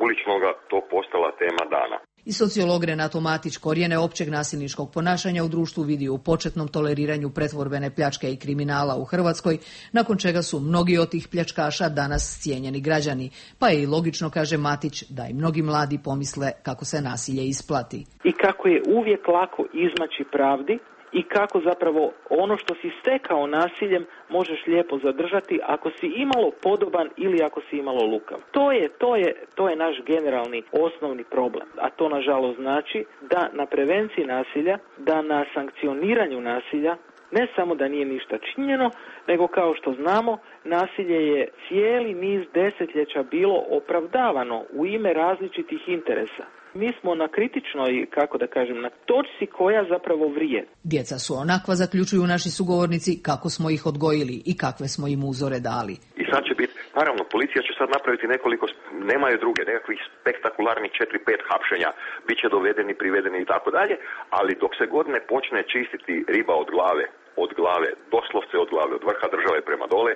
uličnoga to postala tema dana. I sociolog Renato Matić korijene općeg nasilničkog ponašanja u društvu vidi u početnom toleriranju pretvorbene pljačke i kriminala u Hrvatskoj, nakon čega su mnogi od tih pljačkaša danas cijenjeni građani, pa je i logično, kaže Matić, da i mnogi mladi pomisle kako se nasilje isplati. I kako je uvijek lako izmaći pravdi, i kako zapravo ono što si stekao nasiljem možeš lijepo zadržati ako si imalo podoban ili ako si imalo lukav. To je, to je, to je naš generalni osnovni problem. A to nažalost znači da na prevenciji nasilja, da na sankcioniranju nasilja ne samo da nije ništa činjeno, nego kao što znamo, nasilje je cijeli niz desetljeća bilo opravdavano u ime različitih interesa. Mi smo na kritičnoj, kako da kažem, na točci koja zapravo vrije. Djeca su onakva, zaključuju naši sugovornici, kako smo ih odgojili i kakve smo im uzore dali. I sad će biti, naravno, policija će sad napraviti nekoliko, nemaju druge, nekakvih spektakularnih četiri pet hapšenja, bit će dovedeni, privedeni i tako dalje, ali dok se god ne počne čistiti riba od glave, od glave, doslovce od glave, od vrha države prema dole,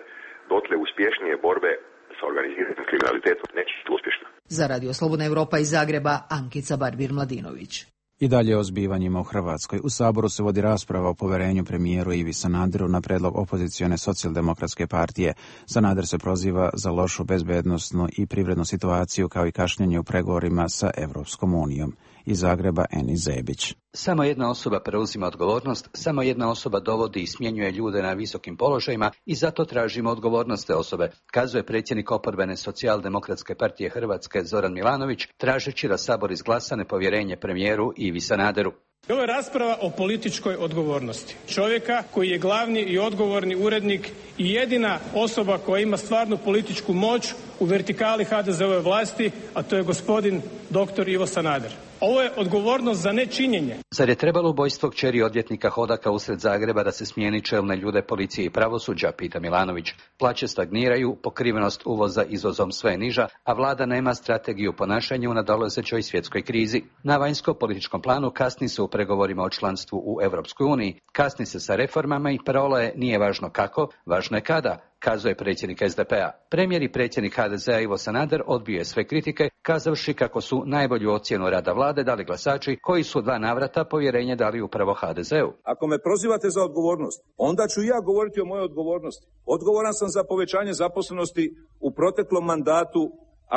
dotle uspješnije borbe sa organiziranim kriminalitetom neće biti uspješna. Za Radio Slobodna Evropa iz Zagreba, Ankica Barbir-Mladinović. I dalje o zbivanjima u Hrvatskoj. U Saboru se vodi rasprava o poverenju premijeru Ivi Sanaderu na predlog opozicione socijaldemokratske partije. Sanader se proziva za lošu bezbednosnu i privrednu situaciju kao i kašnjenje u pregovorima sa Evropskom unijom. Iz Zagreba Eni Zebić. Samo jedna osoba preuzima odgovornost, samo jedna osoba dovodi i smjenjuje ljude na visokim položajima i zato tražimo odgovornost te osobe, kazuje predsjednik oporbene socijaldemokratske partije Hrvatske Zoran Milanović, tražeći da Sabor izglasa nepovjerenje premijeru Ivi Sanaderu. Ovo je rasprava o političkoj odgovornosti. Čovjeka koji je glavni i odgovorni urednik i jedina osoba koja ima stvarnu političku moć u vertikali ha de ze ove vlasti, a to je gospodin doktor Ivo Sanader. Ovo je odgovornost za nečinjenje. Zar je trebalo ubojstvo kćeri odvjetnika Hodaka usred Zagreba da se smijeni čelne ljude policije i pravosuđa, pita Milanović. Plaće stagniraju, pokrivenost uvoza izvozom sve je niža, a vlada nema strategiju ponašanja u nadolazećoj svjetskoj krizi. Na vanjsko-političkom planu kasni se u pregovorima o članstvu u Europskoj uniji, kasni se sa reformama i parola je nije važno kako, važno je kada, kazuje predsjednik es de pe a. Premijer i predsjednik ha de ze a Ivo Sanader odbio je sve kritike, kazavši kako su najbolju ocjenu rada vlade dali glasači koji su dva navrata povjerenje dali upravo ha de ze u. Ako me prozivate za odgovornost, onda ću ja govoriti o mojoj odgovornosti. Odgovoran sam za povećanje zaposlenosti u proteklom mandatu.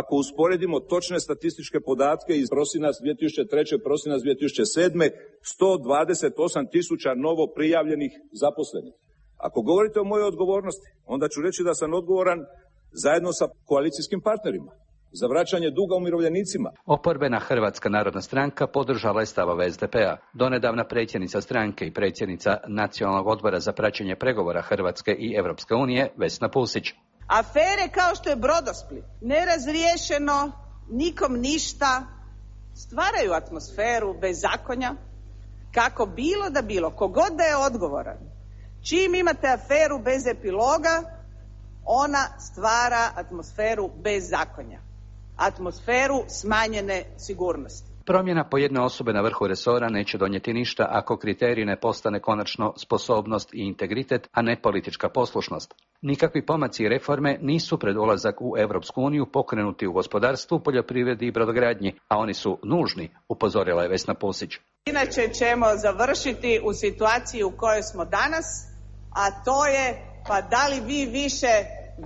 Ako usporedimo točne statističke podatke iz prosinac dvije tisuće treće. prosinac dvije tisuće sedme. sto dvadeset osam tisuća novo prijavljenih zaposlenih. Ako govorite o mojoj odgovornosti, onda ću reći da sam odgovoran zajedno sa koalicijskim partnerima za vraćanje duga umirovljenicima. Oporbena Hrvatska narodna stranka podržala je stavove es de pe a. Donedavna predsjednica stranke i predsjednica Nacionalnog odbora za praćenje pregovora Hrvatske i Evropske unije Vesna Pusić. Afere kao što je Brodosplit, nerazriješeno, nikom ništa, stvaraju atmosferu bezakonja, kako bilo da bilo, kogod da je odgovoran. Čim imate aferu bez epiloga, ona stvara atmosferu bezakonja, atmosferu smanjene sigurnosti. Promjena po jedne osobe na vrhu resora neće donijeti ništa ako kriterij ne postane konačno sposobnost i integritet, a ne politička poslušnost. Nikakvi pomaci i reforme nisu pred ulazak u Europsku uniju pokrenuti u gospodarstvu, poljoprivredi i brodogradnji, a oni su nužni, upozorila je Vesna Pusić. Inače ćemo završiti u situaciji u kojoj smo danas, a to je pa da li vi više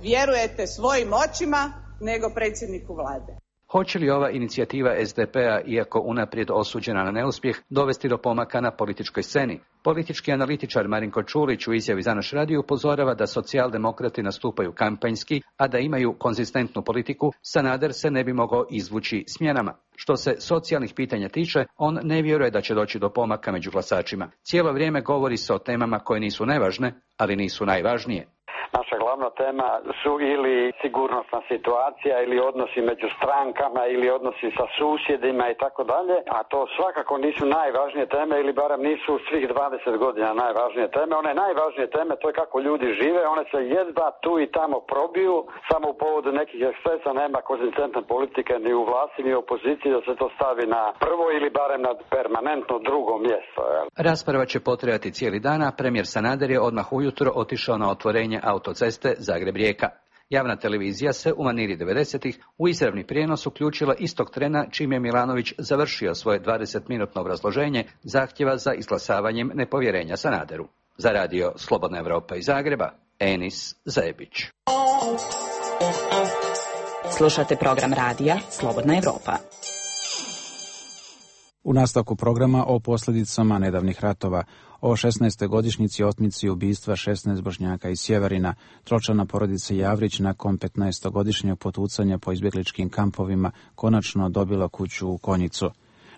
vjerujete svojim očima nego predsjedniku vlade. Hoće li ova inicijativa es de pe-a, iako unaprijed osuđena na neuspjeh, dovesti do pomaka na političkoj sceni? Politički analitičar Marinko Čulić u izjavi za naš radio upozorava da socijaldemokrati nastupaju kampanjski, a da imaju konzistentnu politiku, Sanader se ne bi mogao izvući smjenama. Što se socijalnih pitanja tiče, on ne vjeruje da će doći do pomaka među glasačima. Cijelo vrijeme govori se o temama koje nisu nevažne, ali nisu najvažnije. Naša glavna tema su ili sigurnosna situacija ili odnosi među strankama ili odnosi sa susjedima i tako dalje, a to svakako nisu najvažnije teme ili barem nisu svih dvadeset godina najvažnije teme. One najvažnije teme, to je kako ljudi žive, one se jedva tu i tamo probiju, samo u povodu nekih ekscesa nema konzistentne politike ni u vlasti ni u opoziciji da se to stavi na prvo ili barem na permanentno drugo mjesto. Jel? Rasprava će potrajati cijeli dan, a premijer Sanader je odmah ujutro otišao na otvorenje autoceste Zagreb-Rijeka. Javna televizija se u maniri devedesetih u izravni prijenos uključila istog trena čim je Milanović završio svoje dvadesetminutno obrazloženje zahtjeva za izglasavanjem nepovjerenja Sanaderu. Za radio Slobodna Evropa iz Zagreba, Enis Zebić. Slušate program radija Slobodna Evropa. U nastavku programa o posljedicama nedavnih ratova, o šesnaestoj godišnjici otmici ubistva šesnaest Bošnjaka iz Sjeverina, tročlana porodica Javrić nakon petnaestogodišnjeg potucanja po izbjegličkim kampovima konačno dobila kuću u Konjicu.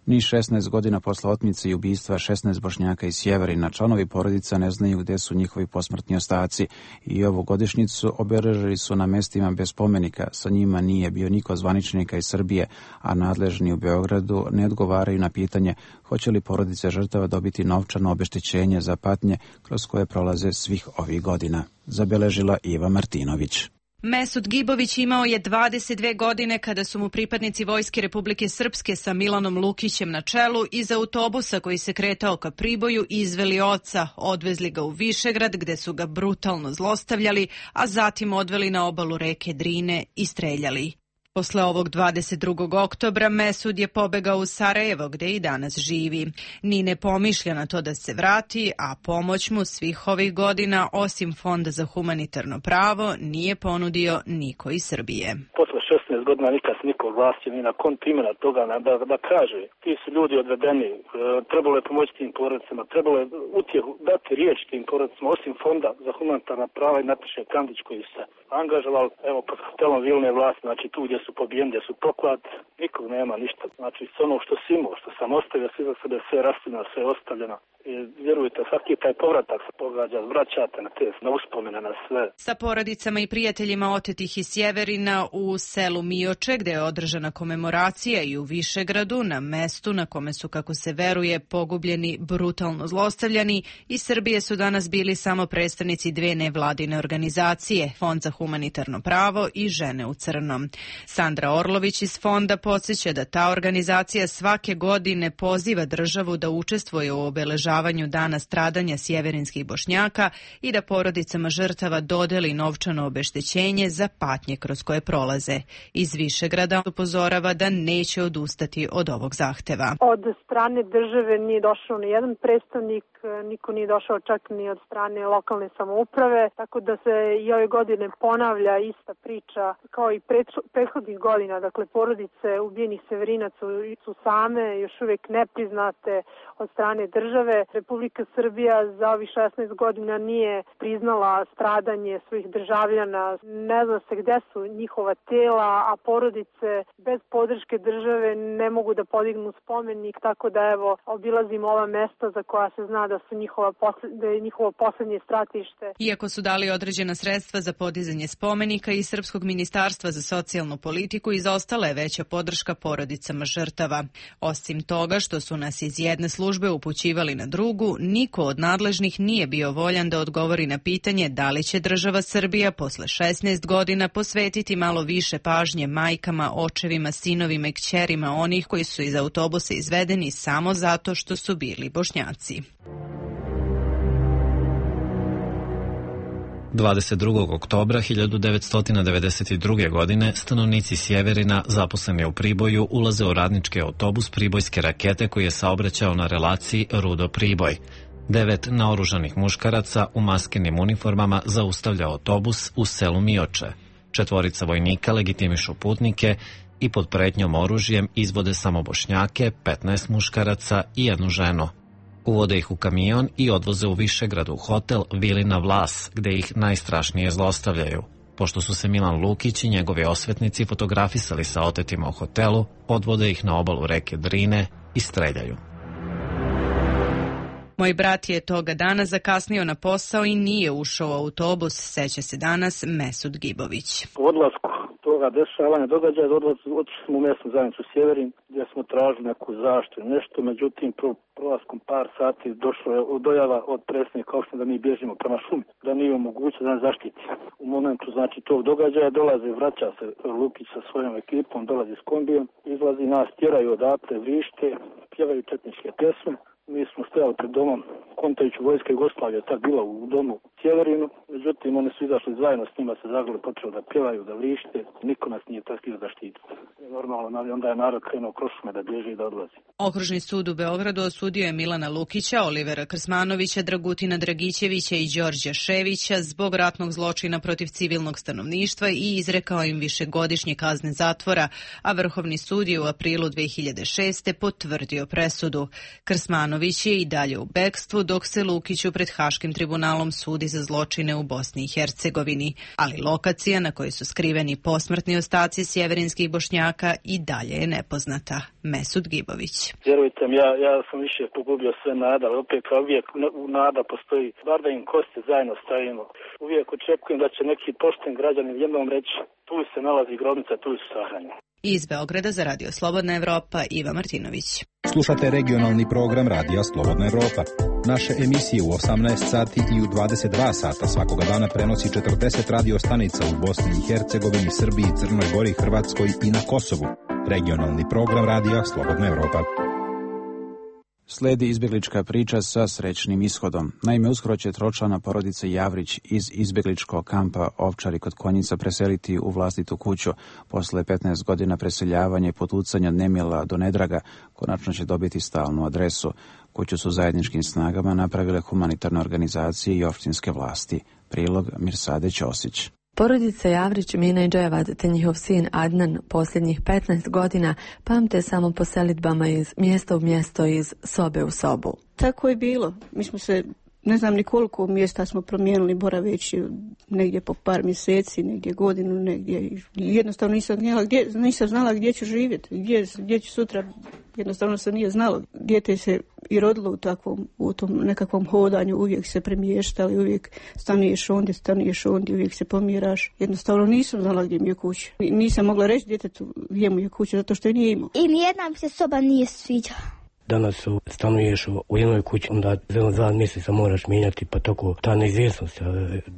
Ni šesnaest godina posle otmice i ubistva šesnaest Bošnjaka iz Sjeverina, članovi porodica ne znaju gdje su njihovi posmrtni ostaci i ovu godišnjicu obeležili su na mestima bez spomenika. Sa njima nije bio niko zvaničnika iz Srbije, a nadležni u Beogradu ne odgovaraju na pitanje hoće li porodice žrtava dobiti novčano obeštećenje za patnje kroz koje prolaze svih ovih godina. Zabeležila Iva Martinović. Mesud Gibović imao je dvadeset dve godine kada su mu pripadnici Vojske Republike Srpske sa Milanom Lukićem na čelu iz autobusa koji se kretao ka Priboju izveli oca, odvezli ga u Višegrad gde su ga brutalno zlostavljali, a zatim odveli na obalu reke Drine i streljali. Posle ovog dvadeset drugog oktobra Mesud je pobegao u Sarajevo gde i danas živi. Ni ne pomišlja na to da se vrati, a pomoć mu svih ovih godina, osim Fonda za humanitarno pravo, nije ponudio niko iz Srbije. Posle šesnaest godina nikad se niko oglasio ni na kontu imena toga da, da kaže ti su ljudi odvedeni, e, trebalo je pomoći tim porodicama, trebalo je utjehu dati riječ tim porodicama, osim Fonda za humanitarna prava i Nataše Kandić koji se angažovali, evo pod hotelom Vilne vlasti, znači tu gdje su pobijeni, gdje su poklad, nikog nema ništa. Znači s ono što si imao, što sam ostavio, svi za sebe sve rastinjeno, sve ostavljeno. I vjerujte, svaki taj povratak se pogađa, vraćate na te, na uspomene, na sve. Sa porodicama i prijateljima otetih iz Sjeverina u selu Mioče, gde je održana komemoracija, i u Višegradu, na mestu na kome su, kako se veruje, pogubljeni, brutalno zlostavljani, iz Srbije su danas bili samo predstavnici dve nevladine organizacije, Fond za humanitarno pravo i Žene u crnom. Sandra Orlović iz Fonda podsjeća da ta organizacija svake godine poziva državu da učestvuje u obeležavanju dana stradanja sjeverinskih Bošnjaka i da porodicama žrtava dodeli novčano obeštećenje za patnje kroz koje prolaze. Iz Višegrada upozorava da neće odustati od ovog zahteva. Od strane države nije došao ni jedan predstavnik, niko nije došao čak ni od strane lokalne samouprave, tako da se i ove godine ponavlja ista priča kao i prethodnih godina. Dakle, porodice ubijenih Severinaca su same, još uvijek nepriznate od strane države. Republika Srbija za ovih šesnaest godina nije priznala stradanje svojih državljana. Ne zna se gde su njihova tela, a porodice bez podrške države ne mogu da podignu spomenik, tako da evo obilazimo ova mesta za koja se zna da su njihova posle, da je njihovo posljednje stratište. Iako su dali određena sredstva za podizanje spomenika iz Srpskog ministarstva za socijalnu politiku, izostala je veća podrška porodicama žrtava. Osim toga što su nas iz jedne službe upućivali na drugu, niko od nadležnih nije bio voljan da odgovori na pitanje da li će država Srbija posle šesnaest godina posvetiti malo više pažnje majkama, očevima, sinovima i kćerima onih koji su iz autobusa izvedeni samo zato što su bili Bošnjaci. dvadeset drugog oktobra hiljadu devetsto devedeset druge. godine stanovnici Sjeverina, zaposleni u Priboju, ulaze u radnički autobus pribojske rakete koji je saobraćao na relaciji Rudo-Priboj. Devet naoružanih muškaraca u maskenim uniformama zaustavlja autobus u selu Mioče. Četvorica vojnika legitimišu putnike i pod pretnjom oružjem izvode samo Bošnjake, petnaest muškaraca i jednu ženu. Uvode ih u kamion i odvoze u Višegrad u hotel Vilina Vlas, gde ih najstrašnije zlostavljaju. Pošto su se Milan Lukić i njegovi osvetnici fotografisali sa otetima u hotelu, odvode ih na obalu reke Drine i streljaju. Moj brat je toga dana zakasnio na posao i nije ušao u autobus, seća se danas Mesud Gibović. U odlasku toga dešavanja događaja otišli smo u mjesnu zajednicu Sjeverin gdje smo tražili neku zaštitu, nešto, međutim prolaskom par sati došlo je dojava od predsjednika opštine da mi bježimo prema šumi, da nije moguće da nas zaštiti. U momentu znači tog događaja dolaze, vraća se Lukić sa svojom ekipom, dolazi s kombijom, izlazi, nas tjeraju odatle, vrište, pjevaju četničke pjesme. Mi smo stojali pred domom Kontajuću vojske Jugoslavije, tak bila u domu Sjeverinu, međutim oni su izašli zajedno s njima, se zagrli, počeli da pjevaju, da vrište, niko nas nije tako htio zaštititi. Normalno, onda je narod krenuo kroz šume da bježi i da odlazi. Okružni sud u Beogradu osudio je Milana Lukića, Olivera Krsmanovića, Dragutina Dragićevića i Đorđa Ševića zbog ratnog zločina protiv civilnog stanovništva i izrekao im višegodišnje kazne zatvora, a Vrhovni sud je u aprilu dve hiljade šeste. potvrdio presudu. Krsmanović je i dalje u bekstvu, dok se Lukiću pred Haškim tribunalom sudi za zločine u Bosni i Hercegovini, ali lokacija na kojoj su skriveni posmrtni ostaci sjeverinskih Bošnjaka i dalje je nepoznata. Mesud Gibović. Vjerujte mi, ja, ja sam više pogubio sve nada, ali opet kao uvijek nada postoji, bar da im kosti zajedno stavimo. Uvijek očekujem da će neki pošten građanin jednom reći, tu se nalazi grobnica, tu su sahranjeni. Iz Beograda za Radio Slobodna Evropa, Iva Martinović. Slušate regionalni program Radija Slobodna Evropa. Naše emisije u osamnaest sati i u dvadeset dva sata svakoga dana prenosi četrdeset radio stanica u Bosni i Hercegovini, Srbiji, Crnoj Gori, Hrvatskoj i na Kosovu. Regionalni program Radija Slobodna Evropa. Sledi izbjeglička priča sa srećnim ishodom. Naime, uskoro će tročlana porodica Javrić iz izbjegličkog kampa Ovčari kod Konjica preseliti u vlastitu kuću. Posle petnaest godina preseljavanja i potucanja nemila do nedraga, konačno će dobiti stalnu adresu. Kuću su zajedničkim snagama napravile humanitarne organizacije i opštinske vlasti. Prilog Mirsade Ćosić. Porodica Javrić, Mina i Dževad te njihov sin Adnan posljednjih petnaest godina pamte samo po selidbama iz mjesta u mjesto, iz sobe u sobu. Tako je bilo. Mi smo se, ne znam ni koliko mjesta smo promijenili boraveći, negdje po par mjeseci, negdje godinu, negdje. Jednostavno nisam znala gdje, nisam znala gdje ću živjeti, gdje, gdje ću sutra. Jednostavno se nije znalo. Dijete se i rodilo u takvom, u tom nekakvom hodanju, uvijek se premještali, uvijek stanuješ ondje, stanuješ ondje, uvijek se pomiraš. Jednostavno nisam znala gdje mi je kuća. Nisam mogla reći djetetu gdje mu je kuća, zato što je nije imao. I nijedna mi se soba nije sviđa. Danas stanuješ u jednoj kući, onda za dva mjeseca moraš mijenjati, pa tako ta neizvjesnost,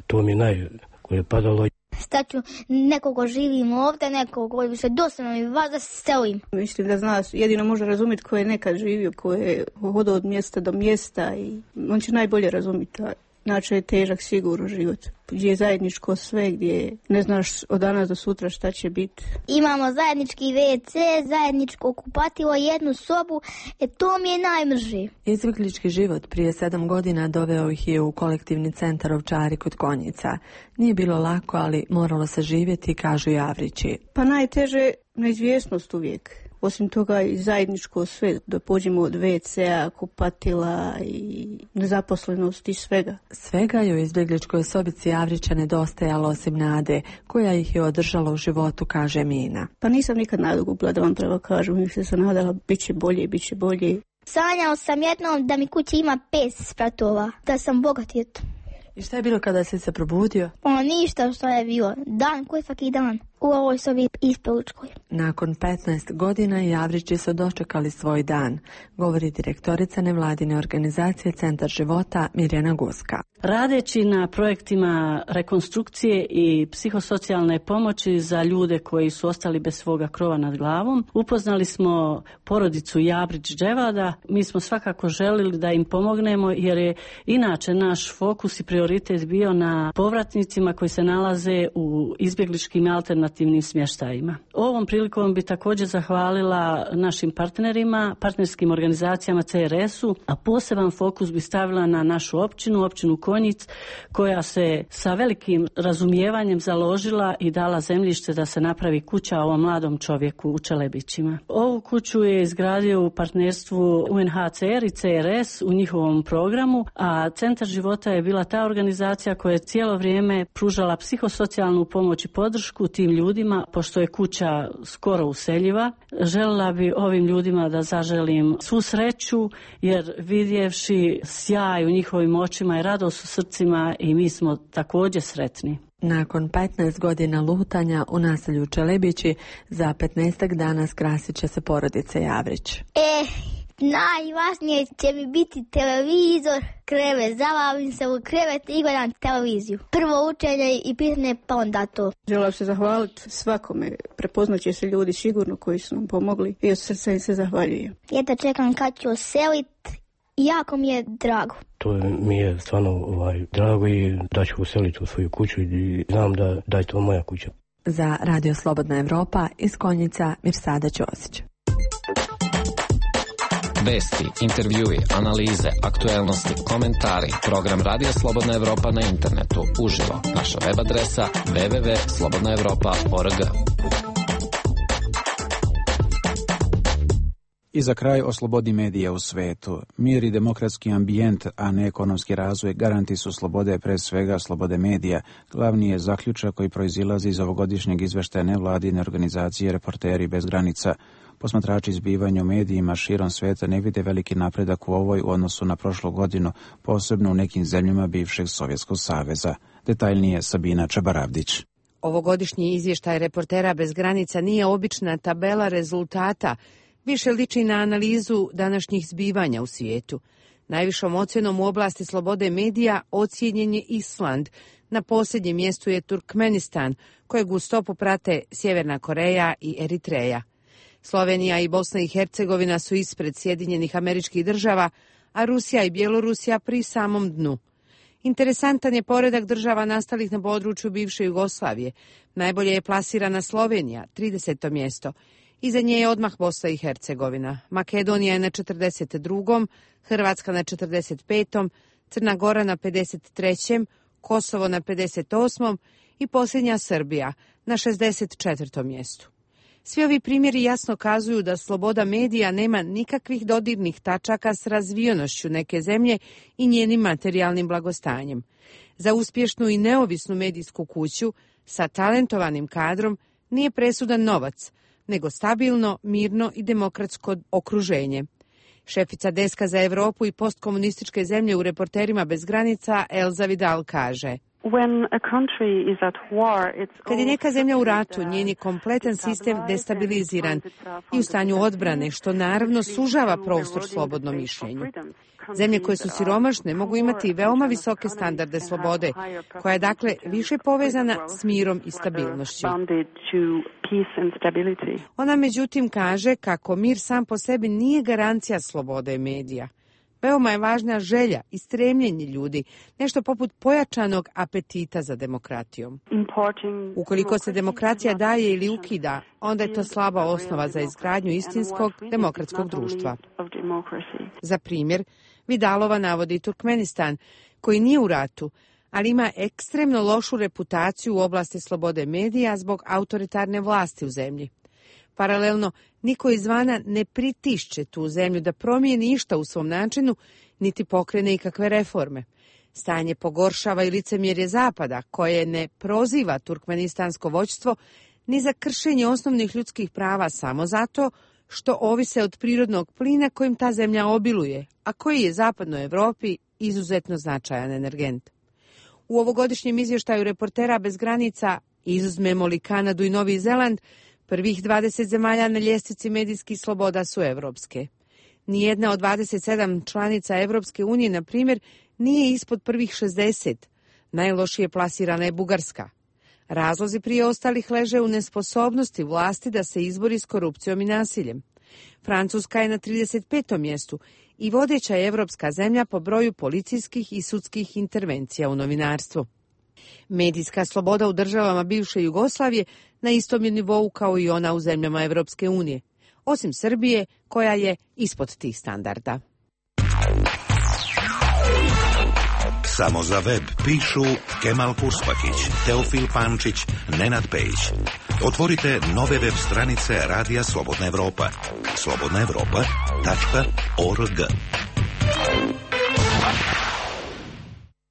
to mi je naj koje je padalo. Staću, nekoga živim ovdje, nekoga više dosadno mi vas da se selim. Mislim da zna, jedino može razumjeti ko je nekad živio, ko je hodao od mjesta do mjesta i on će najbolje razumjeti. Znači je težak sigurno život, gdje je zajedničko sve, gdje ne znaš od danas do sutra šta će biti. Imamo zajednički ve ce, zajedničko kupatilo, jednu sobu, e to mi je najmrži. Izbjeglički život prije sedam godina doveo ih je u kolektivni centar Ovčari kod Konjica. Nije bilo lako, ali moralo se živjeti, kažu Javrići. Pa najteže neizvjesnost uvijek. Osim toga i zajedničko sve, da pođemo od ve cea, kupatila i nezaposlenost i svega. Svega je u izbjegličkoj sobici Javrića nedostajalo osim nade, koja ih je održala u životu, kaže Mina. Pa nisam nikad nadu gubila, da vam pravo kažem, uvijek se sam nadala, bit će bolje, bit će bolje. Sanjao sam jednom da mi kući ima pet spratova, da sam bogat djeto. I šta je bilo kada si se probudio? Pa ništa što je bilo. Dan koji svaki dan. U ovoj sobi isporučkoj. Nakon petnaest godina Javrići su dočekali svoj dan, govori direktorica nevladine organizacije Centar života Mirjana Guska. Radeći na projektima rekonstrukcije i psihosocijalne pomoći za ljude koji su ostali bez svoga krova nad glavom, upoznali smo porodicu Javrić Dževada. Mi smo svakako želili da im pomognemo jer je inače naš fokus i prioritet bio na povratnicima koji se nalaze u izbjegličkim alternativnim smještajima. Ovom prilikom bi također zahvalila našim partnerima, partnerskim organizacijama C R S-u, a poseban fokus bi stavila na našu općinu, općinu Konjic, koja se sa velikim razumijevanjem založila i dala zemljište da se napravi kuća ovom mladom čovjeku u Čelebićima. Ovu kuću je izgradio u partnerstvu U N H C R i C R S u njihovom programu, a Centar života je bila ta organizacija koja je cijelo vrijeme pružala psihosocijalnu pomoć i podršku tim ljudima, pošto je kuća skoro useljiva. Željela bi ovim ljudima da zaželim svu sreću, jer vidjevši sjaj u njihovim očima i radost u srcima, i mi smo također sretni. Nakon petnaest godina lutanja u naselju Čelebići, za petnaestak dana skrasit će se porodice Javrić. E, najvažnije će mi biti televizor, krevet. Zabavim se u krevet i gledam televiziju. Prvo učenje i pitanje, pa onda to. Želim se zahvaliti svakome. Prepoznaće se ljudi sigurno koji su nam pomogli i od srca im se zahvaljujem. Jedno čekam kad ću oselit. Jako mi je drago. To mi je stvarno ovaj, drago i da ću useliti u svoju kuću i znam da, da je to moja kuća. Za Radio Slobodna Evropa iz Konjica Mirsada Ćosić. Vesti, intervjui, analize, aktuelnosti, komentari. Program Radio Slobodna Evropa na internetu, uživo. Naša web adresa w w w tačka slobodna evropa tačka org. I za kraj o slobodi medija u svetu. Mir i demokratski ambijent, a ne ekonomski razvoj, garanti su slobode, pre svega slobode medija. Glavni je zaključak koji proizilazi iz ovogodišnjeg izveštaja nevladine organizacije Reporteri bez granica. Posmatrači zbivanja u medijima širom sveta ne vide veliki napredak u ovoj u odnosu na prošlu godinu, posebno u nekim zemljama bivšeg Sovjetskog saveza. Detaljnije Sabina Čabaravdić. Ovogodišnji izvještaj Reportera bez granica nije obična tabela rezultata, više liči na analizu današnjih zbivanja u svijetu. Najvišom ocjenom u oblasti slobode medija ocijenjen je Island. Na posljednjem mjestu je Turkmenistan, kojeg u stopu prate Sjeverna Koreja i Eritreja. Slovenija i Bosna i Hercegovina su ispred Sjedinjenih Američkih Država, a Rusija i Bjelorusija pri samom dnu. Interesantan je poredak država nastalih na području bivše Jugoslavije. Najbolje je plasirana Slovenija, trideseto mjesto. Iza nje je odmah Bosna i Hercegovina. Makedonija je na četrdeset drugom, Hrvatska na četrdeset petom, Crna Gora na pedeset trećem, Kosovo na pedeset osmom i posljednja Srbija na šezdeset četvrtom mjestu. Svi ovi primjeri jasno kazuju da sloboda medija nema nikakvih dodirnih tačaka s razvijenošću neke zemlje i njenim materijalnim blagostanjem. Za uspješnu i neovisnu medijsku kuću sa talentovanim kadrom nije presudan novac, nego stabilno, mirno i demokratsko okruženje. Šefica deska za Europu i postkomunističke zemlje u Reporterima bez granica Elza Vidal kaže: Kad je neka zemlja u ratu, njen je kompletan sistem destabiliziran i u stanju odbrane, što naravno sužava prostor slobodnom mišljenju. Zemlje koje su siromašne mogu imati veoma visoke standarde slobode, koja je dakle više povezana s mirom i stabilnošću. Ona međutim kaže kako mir sam po sebi nije garancija slobode medija. Veoma je važna želja i stremljenje ljudi, nešto poput pojačanog apetita za demokratijom. Ukoliko se demokracija daje ili ukida, onda je to slaba osnova za izgradnju istinskog demokratskog društva. Za primjer, Vidalova navodi Turkmenistan, koji nije u ratu, ali ima ekstremno lošu reputaciju u oblasti slobode medija zbog autoritarne vlasti u zemlji. Paralelno, niko izvana ne pritišće tu zemlju da promijeni išta u svom načinu, niti pokrene ikakve reforme. Stanje pogoršava i licemjerje Zapada, koje ne proziva turkmenistansko vođstvo ni za kršenje osnovnih ljudskih prava samo zato što ovise od prirodnog plina kojim ta zemlja obiluje, a koji je zapadnoj Evropi izuzetno značajan energent. U ovogodišnjem izvještaju Reportera bez granica, izuzmemo li Kanadu i Novi Zeland, prvih dvadeset zemalja na ljestvici medijskih sloboda su evropske. Nijedna od dvadeset sedam članica Evropske unije, na primjer, nije ispod prvih šezdeset. Najlošije plasirana je Bugarska. Razlozi prije ostalih leže u nesposobnosti vlasti da se izbori s korupcijom i nasiljem. Francuska je na trideset petom mjestu i vodeća je evropska zemlja po broju policijskih i sudskih intervencija u novinarstvu. Medijska sloboda u državama bivše Jugoslavije na istom je nivou kao i ona u zemljama Evropske unije, osim Srbije koja je ispod tih standarda. Samo za web pišu Kemal Puspahić, Teofil Pančić, Nenad Pejić. Otvorite nove web stranice Radija Slobodna Evropa. slobodna evropa tačka org.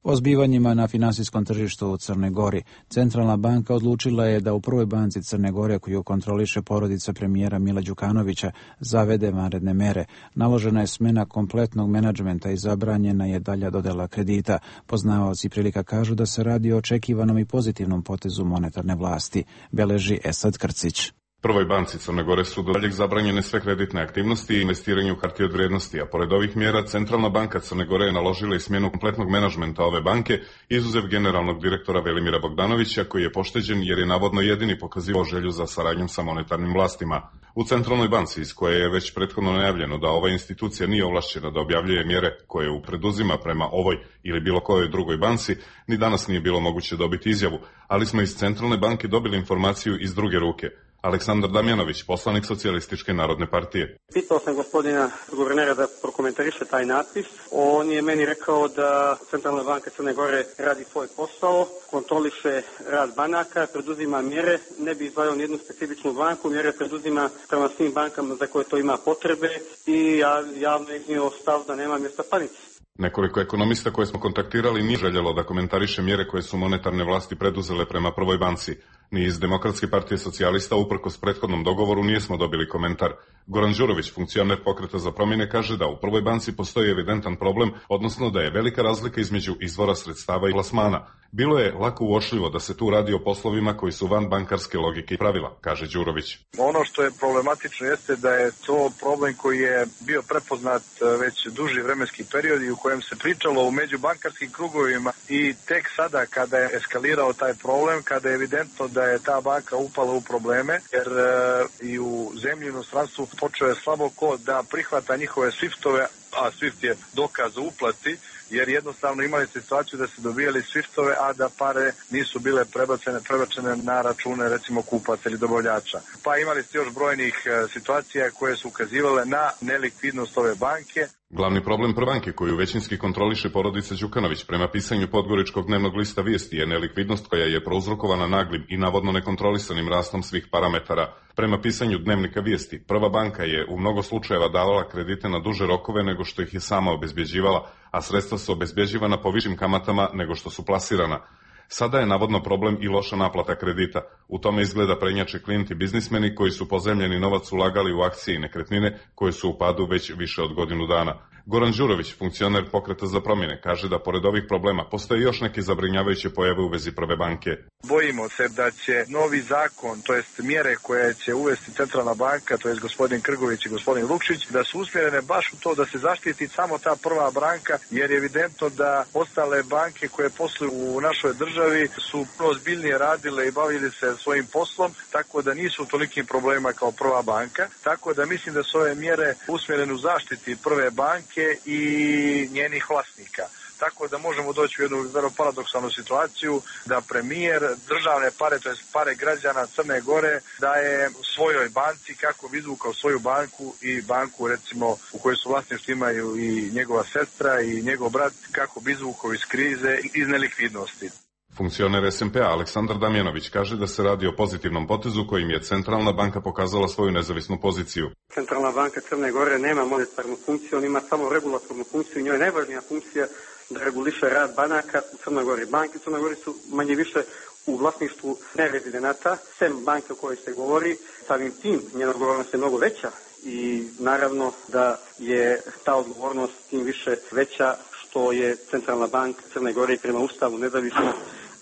O zbivanjima na finansijskom tržištu u Crnoj Gori. Centralna banka odlučila je da u Prvoj banci Crne Gore, koju kontroliše porodica premijera Mila Đukanovića, zavede vanredne mere. Naložena je smena kompletnog menadžmenta i zabranjena je dalja dodela kredita. Poznavaoci prilika kažu da se radi o očekivanom i pozitivnom potezu monetarne vlasti, beleži Esad Krcić. Prvoj banci Crne Gore su do daljeg zabranjene sve kreditne aktivnosti i investiranje u hartije od vrijednosti, a pored ovih mjera Centralna banka Crne Gore je naložila i smjenu kompletnog menadžmenta ove banke, izuzev generalnog direktora Velimira Bogdanovića, koji je pošteđen jer je navodno jedini pokazivao želju za saradnjom sa monetarnim vlastima. U Centralnoj banci, iz koje je već prethodno najavljeno da ova institucija nije ovlašćena da objavljuje mjere koje preduzima prema ovoj ili bilo kojoj drugoj banci, ni danas nije bilo moguće dobiti izjavu, ali smo iz Centralne banke dobili informaciju iz druge ruke. Aleksandar Damjanović, poslanik Socijalističke narodne partije. Pitao sam gospodina guvernera da prokomentariše taj natpis. On je meni rekao da Centralna banka Crne Gore radi svoj posao, kontroliše rad banaka, preduzima mjere, ne bi izdvajao nijednu specifičnu banku, mjere preduzima prema svim bankama za koje to ima potrebe i javno je iznio stav da nema mjesta panici. Nekoliko ekonomista koje smo kontaktirali nije željelo da komentariše mjere koje su monetarne vlasti preduzele prema Prvoj banci. Ni iz Demokratske partije socijalista, uprkos prethodnom dogovoru, nismo dobili komentar. Goran Đurović, funkcioner Pokreta za promjene, kaže da u Prvoj banci postoji evidentan problem, odnosno da je velika razlika između izvora sredstava i plasmana. Bilo je lako uočljivo da se tu radi o poslovima koji su van bankarske logike i pravila, kaže Đurović. Ono što je problematično jeste da je to problem koji je bio prepoznat već duži vremenski period i u kojem se pričalo u međubankarskim krugovima i tek sada kada je eskalirao taj problem, kada je evidentno da je ta banka upala u probleme, jer e, i u zemlji i inostranstvu počeo je slabo ko da prihvata njihove swiftove, a swift je dokaz o uplati, jer jednostavno imali situaciju da se dobijali swiftove, a da pare nisu bile prebacene, prebačene na račune recimo kupaca ili dobavljača. Pa imali ste još brojnih e, situacija koje su ukazivale na nelikvidnost ove banke. Glavni problem Prvanke, koju većinski kontroliše porodica Đukanović, prema pisanju podgoričkog dnevnog lista Vijesti, je nelikvidnost koja je prouzrokovana naglim i navodno nekontrolisanim rastom svih parametara. Prema pisanju dnevnika Vijesti, Prva banka je u mnogo slučajeva davala kredite na duže rokove nego što ih je sama obezbjeđivala, a sredstva su obezbjeđivana po višim kamatama nego što su plasirana. Sada je navodno problem i loša naplata kredita. U tome izgleda prednjače klijenti biznismeni koji su pozemljeni novac ulagali u akcije i nekretnine koje su u padu već više od godinu dana. Goran Đurović, funkcioner Pokreta za promjene, kaže da pored ovih problema postoje još neke zabrinjavajuće pojave u vezi Prve banke. Bojimo se da će novi zakon, to jest mjere koje će uvesti Centralna banka, to jest gospodin Krgović i gospodin Lukšić, da su usmjerene baš u to da se zaštiti samo ta Prva banka, jer je evidentno da ostale banke koje posluju u našoj državi su ozbiljnije radile i bavili se svojim poslom, tako da nisu u tolikim problema kao Prva banka. Tako da mislim da su ove mjere usmjerene u zaštiti Prve banke i njenih vlasnika. Tako da možemo doći u jednu vrlo paradoksalnu situaciju da premijer državne pare, to jest pare građana Crne Gore, daje svojoj banci kako bi izvukao svoju banku i banku recimo u kojoj su vlasništvo imaju i njegova sestra i njegov brat, kako bi izvukao iz krize i iz nelikvidnosti. Funkcioner es em pe a Aleksandar Damjanović kaže da se radi o pozitivnom potezu kojim je Centralna banka pokazala svoju nezavisnu poziciju. Centralna banka Crne Gore nema monetarnu funkciju, on ima samo regulatornu funkciju i njoj je najvažnija funkcija da reguliše rad banaka u Crnoj Gori. Banke u Crnoj Gori su manje više u vlasništvu nerezidenata, sem banke o kojoj se govori, samim tim njena odgovornost je mnogo veća i naravno da je ta odgovornost tim više veća što je Centralna banka Crne Gore prema Ustavu nezavisna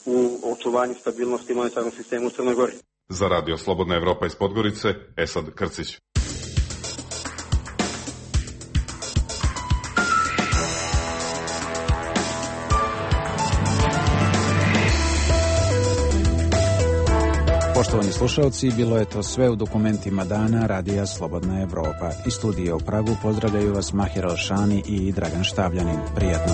u očuvanju stabilnosti monetarnog sistema u Crnoj Gori. Za Radio Slobodna Evropa iz Podgorice, Esad Krcić. Poštovani slušalci, bilo je to sve u dokumentima dana Radija Slobodna Evropa. Iz studija u Pragu pozdravljaju vas Mahir Alšani i Dragan Štavljanin. Prijetno.